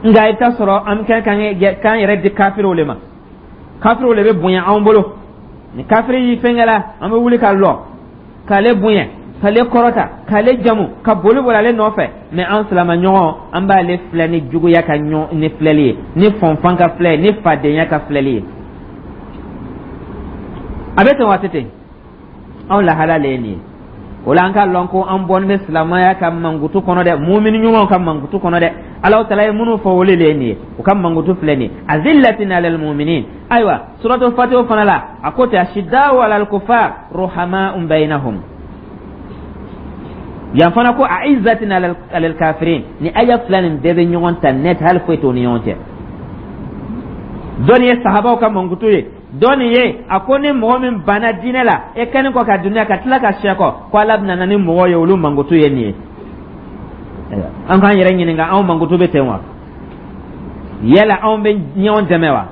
S1: Nka i bɛ taa sɔrɔ an kɛ k'an yɛrɛ di kafiriw le ma. Kafiriw le bɛ bonya anw bolo. Ni kafiri y'i fɛnkɛ la, an bɛ wuli ka lɔ k'ale bonya, k'ale kɔrɔta, k'ale jamu, ka boli boli ale nɔfɛ. Mɛ an silama ɲɔgɔn, an b'ale filɛ ni juguya ka ɲɔgɔn ni filɛli ye, ni fɔnfan ka filɛ ye, ni fadenya ka filɛli ye. A bɛ ten waati ten, anw lahala le ye nin ye. O la, an ka lɔn ko an bɔlen bɛ silamɛya ka mankutu kɔnɔ dɛ, mumini ɲumanw ka mankutu kɔnɔ dɛ. Alahu taala ye minnu fɔ, olu le ye nin ye, u ka mankutu filɛ nin ye, azillatin alal muminin. Ayiwa, suratul Fatiha fana la, a ko ten, ashidda'u alal kufar ruhama'un bainahum. Yan fana ko a'izzatin alal kafirin. Ni aya fila nin bɛɛ bɛ ɲɔgɔn ta net, hali foyi t'o ni ɲɔgɔn cɛ. Dɔ nin ye sahabaw ka mankutu ye, dɔ nin ye a ko ni mɔgɔ min banna diinɛ la, e kɛlen kɔ ka duniya ka tila ka sɛ kɔ, ko Ala bɛna na ni mɔgɔw ye, olu mankutu ye nin ye. An k'an yɛrɛ ɲininka, anw mankutu bɛ ten wa? Yala anw bɛ ɲɔgɔn dɛmɛ wa?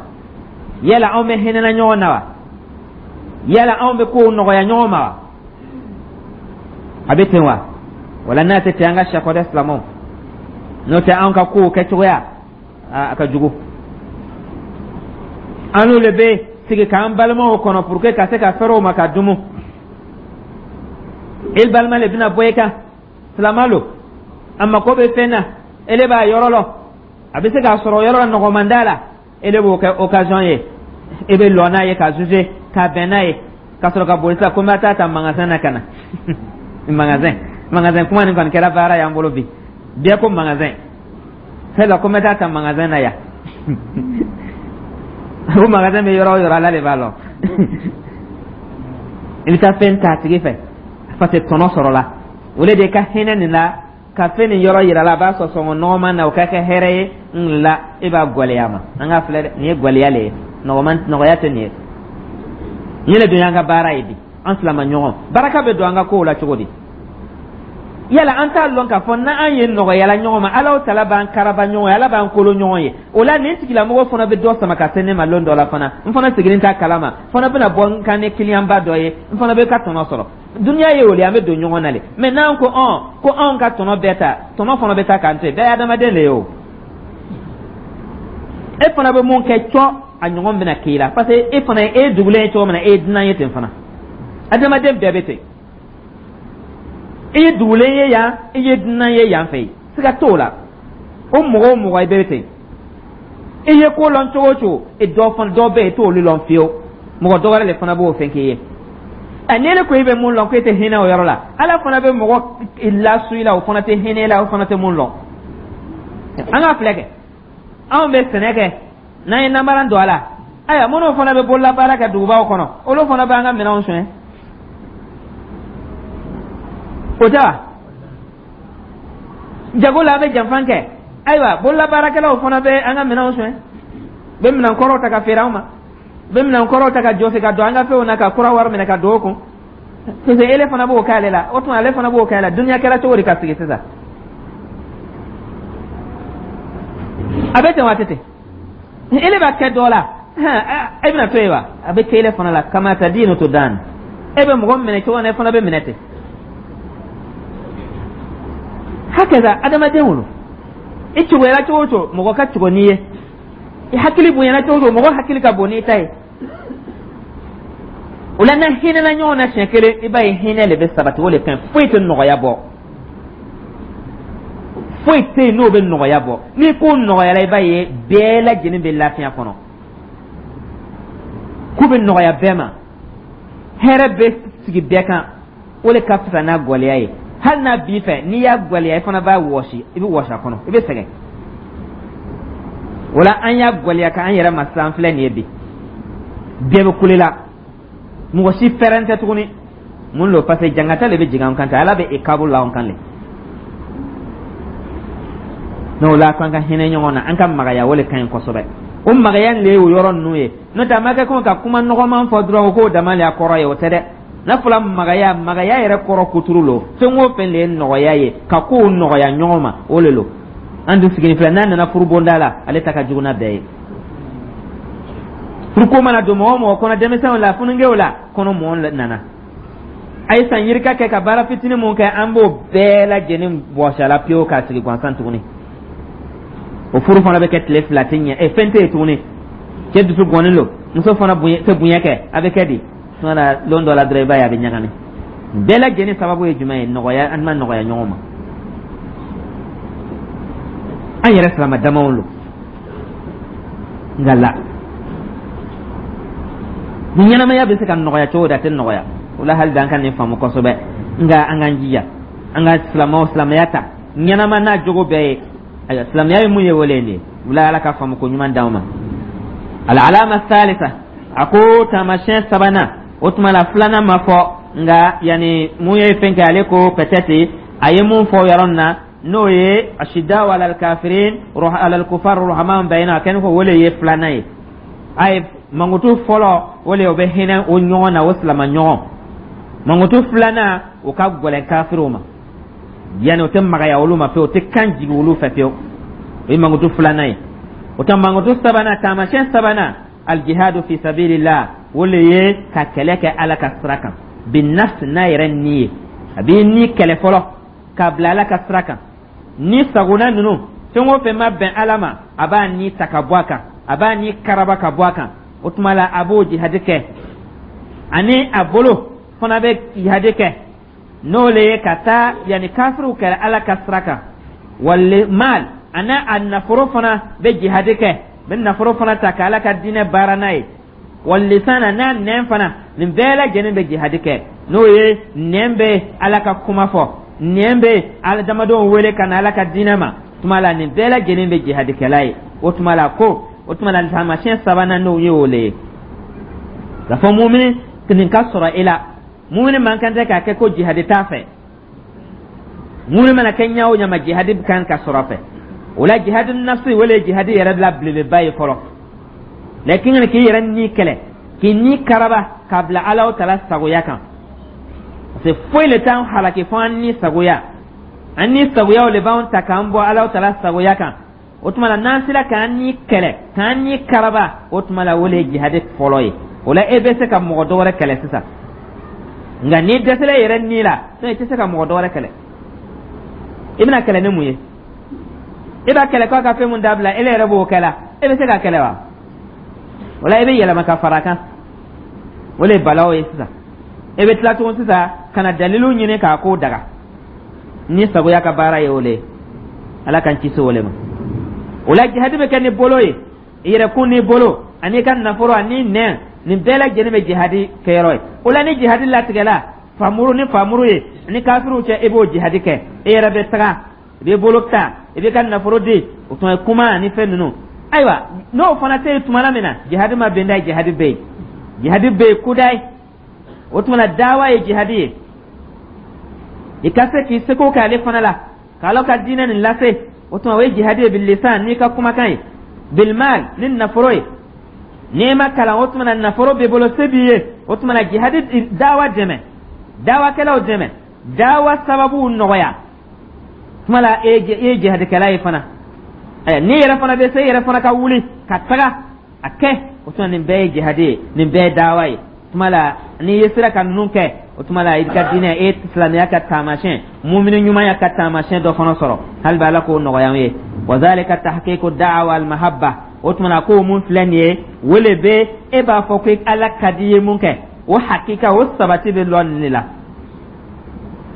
S1: Yala anw bɛ hinɛna ɲɔgɔn na wa? Yala anw bɛ kow nɔgɔya ɲɔgɔn ma wa? A bɛ ten wa? Wala n'a tɛ ten, an ka sɛ kɔ dɛ, silamɛw. N'o tɛ, anw ka kow kɛcogoya a ka jugu. An n'olu bɛ sigi k'an balimaw kɔnɔ pour que ka se ka fɛrɛ o ma ka dumu. I balima le bɛna bɔ i kan, silama lo, a mako bɛ fɛn na, ele b'a yɔrɔ lɔ, a bɛ se k'a sɔrɔ yɔrɔ la nɔgɔman da la, ele b'o kɛ occasion ye, e bɛ lɔ n'a ye ka juger ka bɛn n'a ye, ka sɔrɔ ka boli sisan ko n bɛ taa ta magasin na ka na. Magasin, magasin kuma nin kɔni kɛra baara y'an bolo bi. Bɛɛ ko magasin, fɛn la ko n bɛ taa ta magasin na yan. O magasin bɛ yɔrɔ o yɔrɔ, Ala de b'a lɔn. I bɛ taa fɛn ta a tigi fɛ parce que tɔnɔ sɔrɔla. O le de ka hinɛ nin la ka fɛn nin yɔrɔ yira la, a b'a sɔrɔ sɔngɔ nɔgɔman na, o ka kɛ hɛrɛ ye n la. E b'a gwɛlɛya ma. An k'a filɛ dɛ, nin ye gwɛlɛya le ye, nɔgɔman nɔgɔya tɛ nin ye. Nin le dun y'an ka baara ye bi. An silama ɲɔgɔn baraka bɛ don an ka kow la cogo di? Yala an t'a lɔn k'a fɔ n'an ye nɔgɔyala ɲɔgɔn ma, Ala tala b'an karaba ɲɔgɔn ye, Ala b'an kolo ɲɔgɔn ye. O la, nin tigilamɔgɔ fana bɛ dɔ sama ka se ne ma lon dɔ la fana. N fana sigilen t'a kalama, fana bɛna bɔ n kan ni kiliyanba dɔ ye, n fana bɛ ka tɔnɔ sɔrɔ. Duniya ye o le, an bɛ don ɲɔgɔn na le. Mɛ n'an ko ɔn ko anw ka tɔnɔ bɛɛ ta, tɔnɔ fana bɛ taa k'an to yen. Bɛɛ ye adamaden de ye o. E fana bɛ mun kɛ cɔ, a ɲɔgɔn bɛna k'i la, parce que e fana e ye dugulen ye cogo min na, e ye dunan ye ten fana. Adamaden bɛɛ bɛ ten. I ye dugulen ye yan, i ye dunan ye yan fɛ yen, siga t'o la. O mɔgɔ o mɔgɔ, i bɛ ten. I ye ko lɔn cogo o cogo, e dɔ fana dɔ bɛ yen, i t'olu lɔn fiyewu. Mɔgɔ dɔ wɛrɛ de fana b'o fɛn k'i ye. Ɛ, ni ko i bɛ mun lɔn, ko e tɛ hinɛ o yɔrɔ la, Ala fana bɛ mɔgɔ lasu i la, o fana tɛ hinɛ i la, o fana tɛ mun lɔn. An k'a filɛ kɛ, anw bɛ sɛnɛ kɛ, n'an ye namara don a la, ayiwa, minnu fana bɛ bololabaara kɛ dugubaw kɔnɔ, olu fana b'an ka minɛnw suɲɛ, o tɛ wa? Jago la, an bɛ janfan kɛ, ayiwa, bololabaarakɛlaw fana bɛ an ka minɛnw suɲɛ, bɛ minɛn kɔrɔw ta ka feere anw ma, bɛ minɛn kɔrɔw ta ka jɔsi ka don an ka fɛnw na, ka kura wari minɛ ka don o kun. Parce que ele fana b'o k'ale la, o tuma ale fana b'o k'ale la. Dunuya kɛra cogo di ka sigi sisan? A bɛ ten wa? A tɛ ten. Ele b'a kɛ dɔ la, e bɛna to yen wa? A bɛ kɛ ele fana la. Kama tadinu tudan. E bɛ mɔgɔ minɛ cogo min na, e fana bɛ minɛ ten. Hakaza adamaden wolo, i cogoyara cogo o cogo, mɔgɔ ka cogo n'i ye. I hakili bonyana cogo o cogo, mɔgɔ hakili ka bon n'i ta ye. O la, n'an hinɛna ɲɔgɔn na siɲɛ kelen, i b'a ye hinɛ de bɛ sabati. O de fɛn foyi tɛ nɔgɔya bɔ, foyi tɛ yen n'o bɛ nɔgɔya bɔ. Ni ko nɔgɔyara, i b'a ye bɛɛ lajɛlen bɛ lafiya kɔnɔ, ko bɛ nɔgɔya bɛɛ ma, hɛrɛ bɛ sigi bɛɛ kan. O de ka fisa n'a gɛlɛya ye. Hali n'a b'i fɛ, n'i y'a gɛlɛya, i fana b'a wɔsi, i bɛ wɔsi a kɔnɔ, i bɛ sɛgɛn. O la, an y'a gɛlɛya ka an yɛrɛ ma sisan. Filɛ nin ye bi, bɛɛ bɛ kule la, mɔgɔ si fɛrɛn tɛ tuguni. Mun lo? Parce que jangata le bɛ jigin an kan ten, Ala bɛ ikabu la an kan le. N'o la, k'an ka hinɛ ɲɔgɔn na, an ka magaya, o le ka ɲi kosɛbɛ. O magaya le ye o yɔrɔ ninnu ye. N'o tɛ, a ma kɛ komi ka kuma nɔgɔman fɔ dɔrɔn k'o dama le y'a kɔrɔ ye, o tɛ dɛ. N'a fɔla magaya, magaya yɛrɛ kɔrɔ kuturu lo. Fɛn o fɛn le ye nɔgɔya ye, ka kow nɔgɔya ɲɔgɔn ma, o le lo. An dun sigilen filɛ, n'a nana furubonda la, ale ta ka jugu n'a bɛɛ ye. Furuko mana don mɔgɔ o mɔgɔ kɔnɔ, denmisɛnw la, fununkɛw la kɔnɔ, mɔgɔ nana a ye san yirika kɛ ka baara fitinin mun kɛ, an b'o bɛɛ lajɛlen bɔsi a la pewu k'a sigi gansan tuguni. O furu fana bɛ kɛ tile 2 tɛ ɲɛ, ɛ, fɛn tɛ yen tuguni. Cɛ dusu gɔnnen don, muso fana bonya tɛ bonya kɛ, a bɛ kɛ di? Tuma na, lon dɔ la dɔrɔn, i b'a ye a bɛ ɲagami. Bɛɛ lajɛlen sababu ye jumɛn ye? Nɔgɔya, an ma nɔgɔya ɲɔgɔn ma, an yɛrɛ silama damaw lo. Nka la ni ɲɛnamaya bɛ se ka nɔgɔya cogo di? A tɛ nɔgɔya. O la, hali bi an ka nin faamu kosɛbɛ. Nka an k'an jija, an ka silamɛw silamɛya ta ɲɛnama n'a jogo bɛɛ ye. Ayiwa, silamɛya ye mun ye? O le ye nin ye. O la, Ala ka faamu ko ɲuman d'anw ma. Al-alama thalitha, a ko taamasiyɛn sabanan. O tuma la, filanan ma fɔ, nka yanni mun ye fɛn kɛ, ale ko peut-être A ye mun fɔ yɔrɔ nin na, n'o ye ashiddaw alal kafirin alal kufar ruhama bayna, a kɛni ko o le ye filanan ye. A ye mankutu fɔlɔ, o le o bɛ hinɛ o ɲɔgɔn na, o silama ɲɔgɔn. Mankutu filanan, o ka gɛlɛn kafiriw ma, yanni o tɛ magaya olu ma fewu, o tɛ kan jigin olu fɛ fewu. O ye mankutu filanan ye. O tɛ mankutu sabanan, taamasiyɛn sabanan, aljihadu fi sabilillah, o le ye ka kɛlɛ kɛ Ala ka sira kan, binnafs, n'a yɛrɛ ni ye. A b'i ni kɛlɛ fɔlɔ k'a bila Ala ka sira kan. Ni sagona ninnu, fɛn o fɛn ma bɛn Ala ma, a b'a ni ta ka bɔ a kan, a b'a ni karaba ka bɔ a kan. O tuma la, a b'o jihadi kɛ. Ani a bolo fana bɛ jihadi kɛ, n'o le ye ka taa yanni kafiriw kɛlɛ Ala ka sira kan. Wal mal, ani a nafolo fana bɛ jihadi kɛ, bɛ nafolo fana ta ka Ala ka diinɛ baara n'a ye. Wal lisana, n'a nɛn fana, nin bɛɛ lajɛlen bɛ jihadi kɛ, n'o ye nɛn bɛ Ala ka kuma fɔ, nɛn bɛ adamadenw wele ka na Ala ka diinɛ ma. Tuma la, nin bɛɛ lajɛlen bɛ jihadikɛla ye. O tuma la ko o tuma la, taamasiyɛn sabanan, n'o ye o le ye k'a fɔ mumini nin ka sɔrɔ i la. Mumini man kan tɛ k'a kɛ ko jihadi t'a fɛ. Mumini mana kɛ ɲɛ o ɲɛ ma, jihadi kan ka sɔrɔ a fɛ. O la, jihadi nafsi, o le ye jihadi yɛrɛ la belebeleba ye fɔlɔ. Lakin k'i yɛrɛ ni kɛlɛ, k'i ni karaba k'a bila Ala tala sagoya kan, parce que foyi le t'an halaki fo an ni sagoya. An ni sagoyaw le b'an ta k'an bɔ Ala tala sagoya kan. O tuma la, n'an sera k'an ni kɛlɛ, k'an ni karaba, o tuma la, o le ye jihadi fɔlɔ ye. O la, e bɛ se ka mɔgɔ dɔ wɛrɛ kɛlɛ sisan. Nka n'i dɛsɛla i yɛrɛ ni la, i tɛ se ka mɔgɔ dɔ wɛrɛ kɛlɛ. I bɛna kɛlɛ ni mun ye? E b'a kɛlɛ k'a ka fɛn mun dabila, e yɛrɛ b'o kɛ la, e bɛ se ka kɛlɛ wa? O la, i bɛ yɛlɛma ka fara a kan. O le ye balaw ye sisan. E bɛ tila tugun sisan ka na dalilu ɲini k'a ko daga. Ni sagoya ka baara ye o le ye. Ala k'an kisi o le ma. O la, jihadi bɛ kɛ ni bolo ye, i yɛrɛkun n'i bolo ani i ka nafolo ani nɛn, nin bɛɛ lajɛlen bɛ jihadi kɛyɔrɔ ye. O la, ni jihadi latigɛla famuru ni famuru ye ni kafiriw cɛ, i b'o jihadi kɛ. E yɛrɛ bɛ taga, i b'i bolo ta, i b'i ka nafolo di, o tuma ye kuma ani fɛn ninnu. Ayiwa, n'o fana tɛ yen tuma min na, jihadi ma bɛn da, jihadi bɛ yen, jihadi bɛ yen kudayi. O tuma na, dawa ye jihadi ye. I ka se k'i seko kɛ ale fana la k'Ala ka diinɛ nin lase, o tuma o ye jihadi ye, bilisan, n'i ka kumakan ye, bilmal, ni nafolo ye. N'i ma kalan, o tuma na nafolo b'i bolo, se b'i ye, o tuma na jihadi, dawa dɛmɛ, dawakɛlaw dɛmɛ, dawa sababuw nɔgɔya. Tuma la, e ye jihadikɛla ye fana. N'i yɛrɛ fana bɛ se, i yɛrɛ fana ka wuli ka taga a kɛ, o tuma nin bɛɛ ye jihadi ye, nin bɛɛ ye dawa ye. Tuma la, n'i ye sera ka ninnu kɛ, o tuma la, i ka diinɛ, e silamɛya ka taamasiyɛn, mumini ɲumanya ka taamasiyɛn dɔ fana sɔrɔ. Hali bi, Ala k'o nɔgɔya an ye. Wa zalika tahqiqu da'wa al mahabba. O tuma na, ko mun filɛ nin ye, o le bɛ e b'a fɔ ko Ala ka di ye mun kɛ, o hakika, o sabati bɛ lɔ nin de la.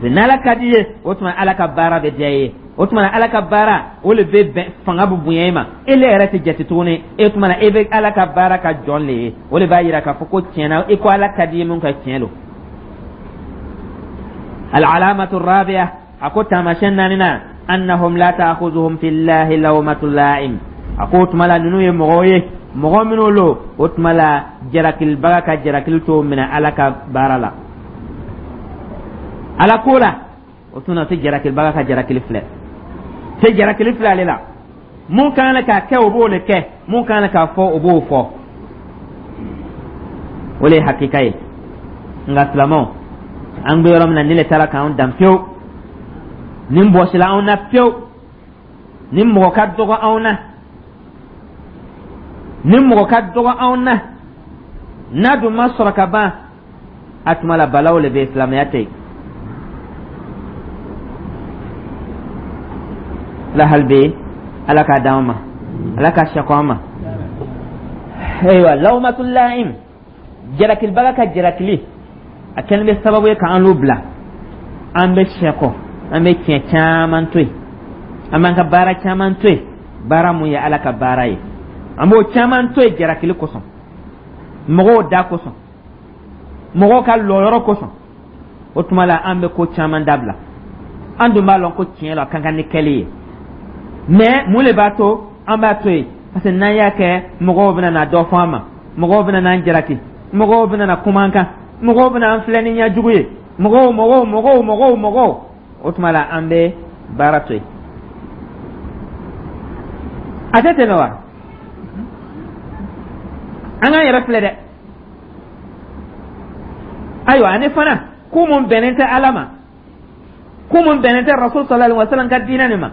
S1: N'Ala ka di ye, o tuma Ala ka baara bɛ diya i ye. O tuma Ala ka baara, o le bɛ bɛn, fanga bɛ bonya i ma, e le yɛrɛ tɛ jate tuguni. E tuma na, e bɛ Ala ka baara ka jɔn le ye. O le b'a yira k'a fɔ ko tiɲɛna, i ko Ala ka di ye mun kɛ, tiɲɛ don. Al-alamatu rabi'a, a ko taamasiyɛn naaninan, annahum la ta'khuzuhum fillahi lawmatu la'im. A ko o tuma la, ninnu ye mɔgɔw ye, mɔgɔ minnu lo, o tuma la, jarakilibaga ka jarakili t'o minɛ Ala ka baara la, Ala ko la. O tuma tɛ jarakilibaga ka jarakili filɛ, tɛ jarakili filɛ ale la. Mun kan k'a kɛ, o b'o le kɛ. Mun kan k'a fɔ, o b'o fɔ. O le ye hakika ye. Nka silamɛw, an bɛ yɔrɔ min na, ni le taara k'an dan pewu, nin bɔsila anw na pewu, ni mɔgɔ ka dɔgɔ anw na, ni mɔgɔ ka dɔgɔ anw na, n'a dun ma sɔrɔ ka ban, a tuma la, balaw le bɛ, silamɛya tɛ yen la. Hali bi, Ala k'a d'an ma, Ala ka sɛkɔ an ma. Ayiwa, lawmatul la'im, jarakilibaga ka jarakili, a kɛlen bɛ sababu ye k'an l'u bila, an bɛ sɛkɔ, an bɛ tiɲɛ caman to yen, an b'an ka baara caman to yen, baara mun ye Ala ka baara ye, an b'o caman to yen jarakili kosɔn, mɔgɔw da kosɔn, mɔgɔw ka lɔyɔrɔ kosɔn. O tuma la, an bɛ ko caman dabila. An dun b'a lɔn ko tiɲɛ la, a ka kan ni kɛli ye, mais mun le b'a to an b'a to yen? Parce que n'an y'a kɛ, mɔgɔw bɛna na dɔ fɔ an ma, mɔgɔw bɛna n'an jalaki, mɔgɔw bɛna na kuma an kan, mɔgɔw bɛna an filɛ ni ɲɛjugu ye, mɔgɔw, mɔgɔw, mɔgɔw, mɔgɔw, mɔgɔw. O tuma la, an bɛ baara to yen, a tɛ tɛmɛ wa? An k'an yɛrɛ filɛ dɛ. Ayiwa, ani fana, ko mun bɛnnen tɛ Ala ma, ko mun bɛnnen tɛ Rasul sallallahu alaihi wasallam ka diinɛ nin ma,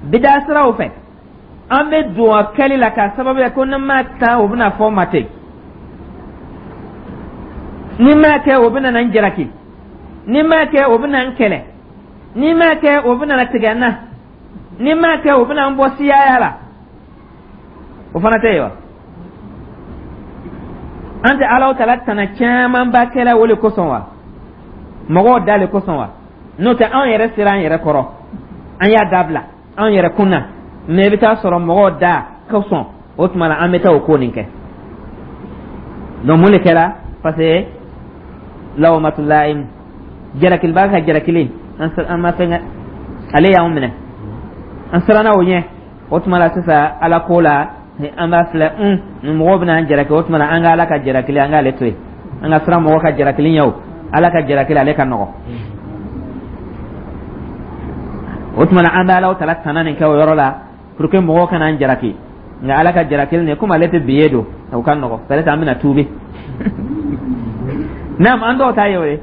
S1: bida siraw fɛ, an bɛ don a kɛli la k'a sababu kɛ ko ni ma taa, o bɛna fɔ ma ten, ni ma kɛ, o bɛna na n jalaki, ni ma kɛ, o bɛna n kɛlɛ, ni ma kɛ, o bɛna na tigɛ n na, ni ma kɛ, o bɛna n bɔ siyaya la. O fana tɛ yen wa? An tɛ Alaw tala tana camanba kɛla o le kosɔn wa? Mɔgɔw da le kosɔn wa? N'o tɛ, anw yɛrɛ sera an yɛrɛ kɔrɔ, an y'a dabila anw yɛrɛ kun na. Mɛ i bɛ taa sɔrɔ mɔgɔw da kosɔn, o tuma na an bɛ taa o ko nin kɛ. Donc mun de kɛra? Parce que lawmatulahi, jalakilibaga ka jalakili, an ma fɛn kɛ, ale y'anw minɛ, an siranna o ɲɛ. O tuma la sisan, Ala ko la, an b'a filɛ un mɔgɔw bɛna an jalaki. O tuma na, an ka Ala ka jalakili, an k'ale to yen. An ka siran mɔgɔ ka jalakili ɲɛ, o Ala ka jalakili, ale ka nɔgɔ. O tuma na, an bɛ Ala tala tana nin kɛ o yɔrɔ la pour que mɔgɔw kana an jalaki. Nka Ala ka jalakili nin, komi ale tɛ biye don, o ka nɔgɔ, peut-être an bɛna tuubi. Naam, an dɔw ta ye o ye.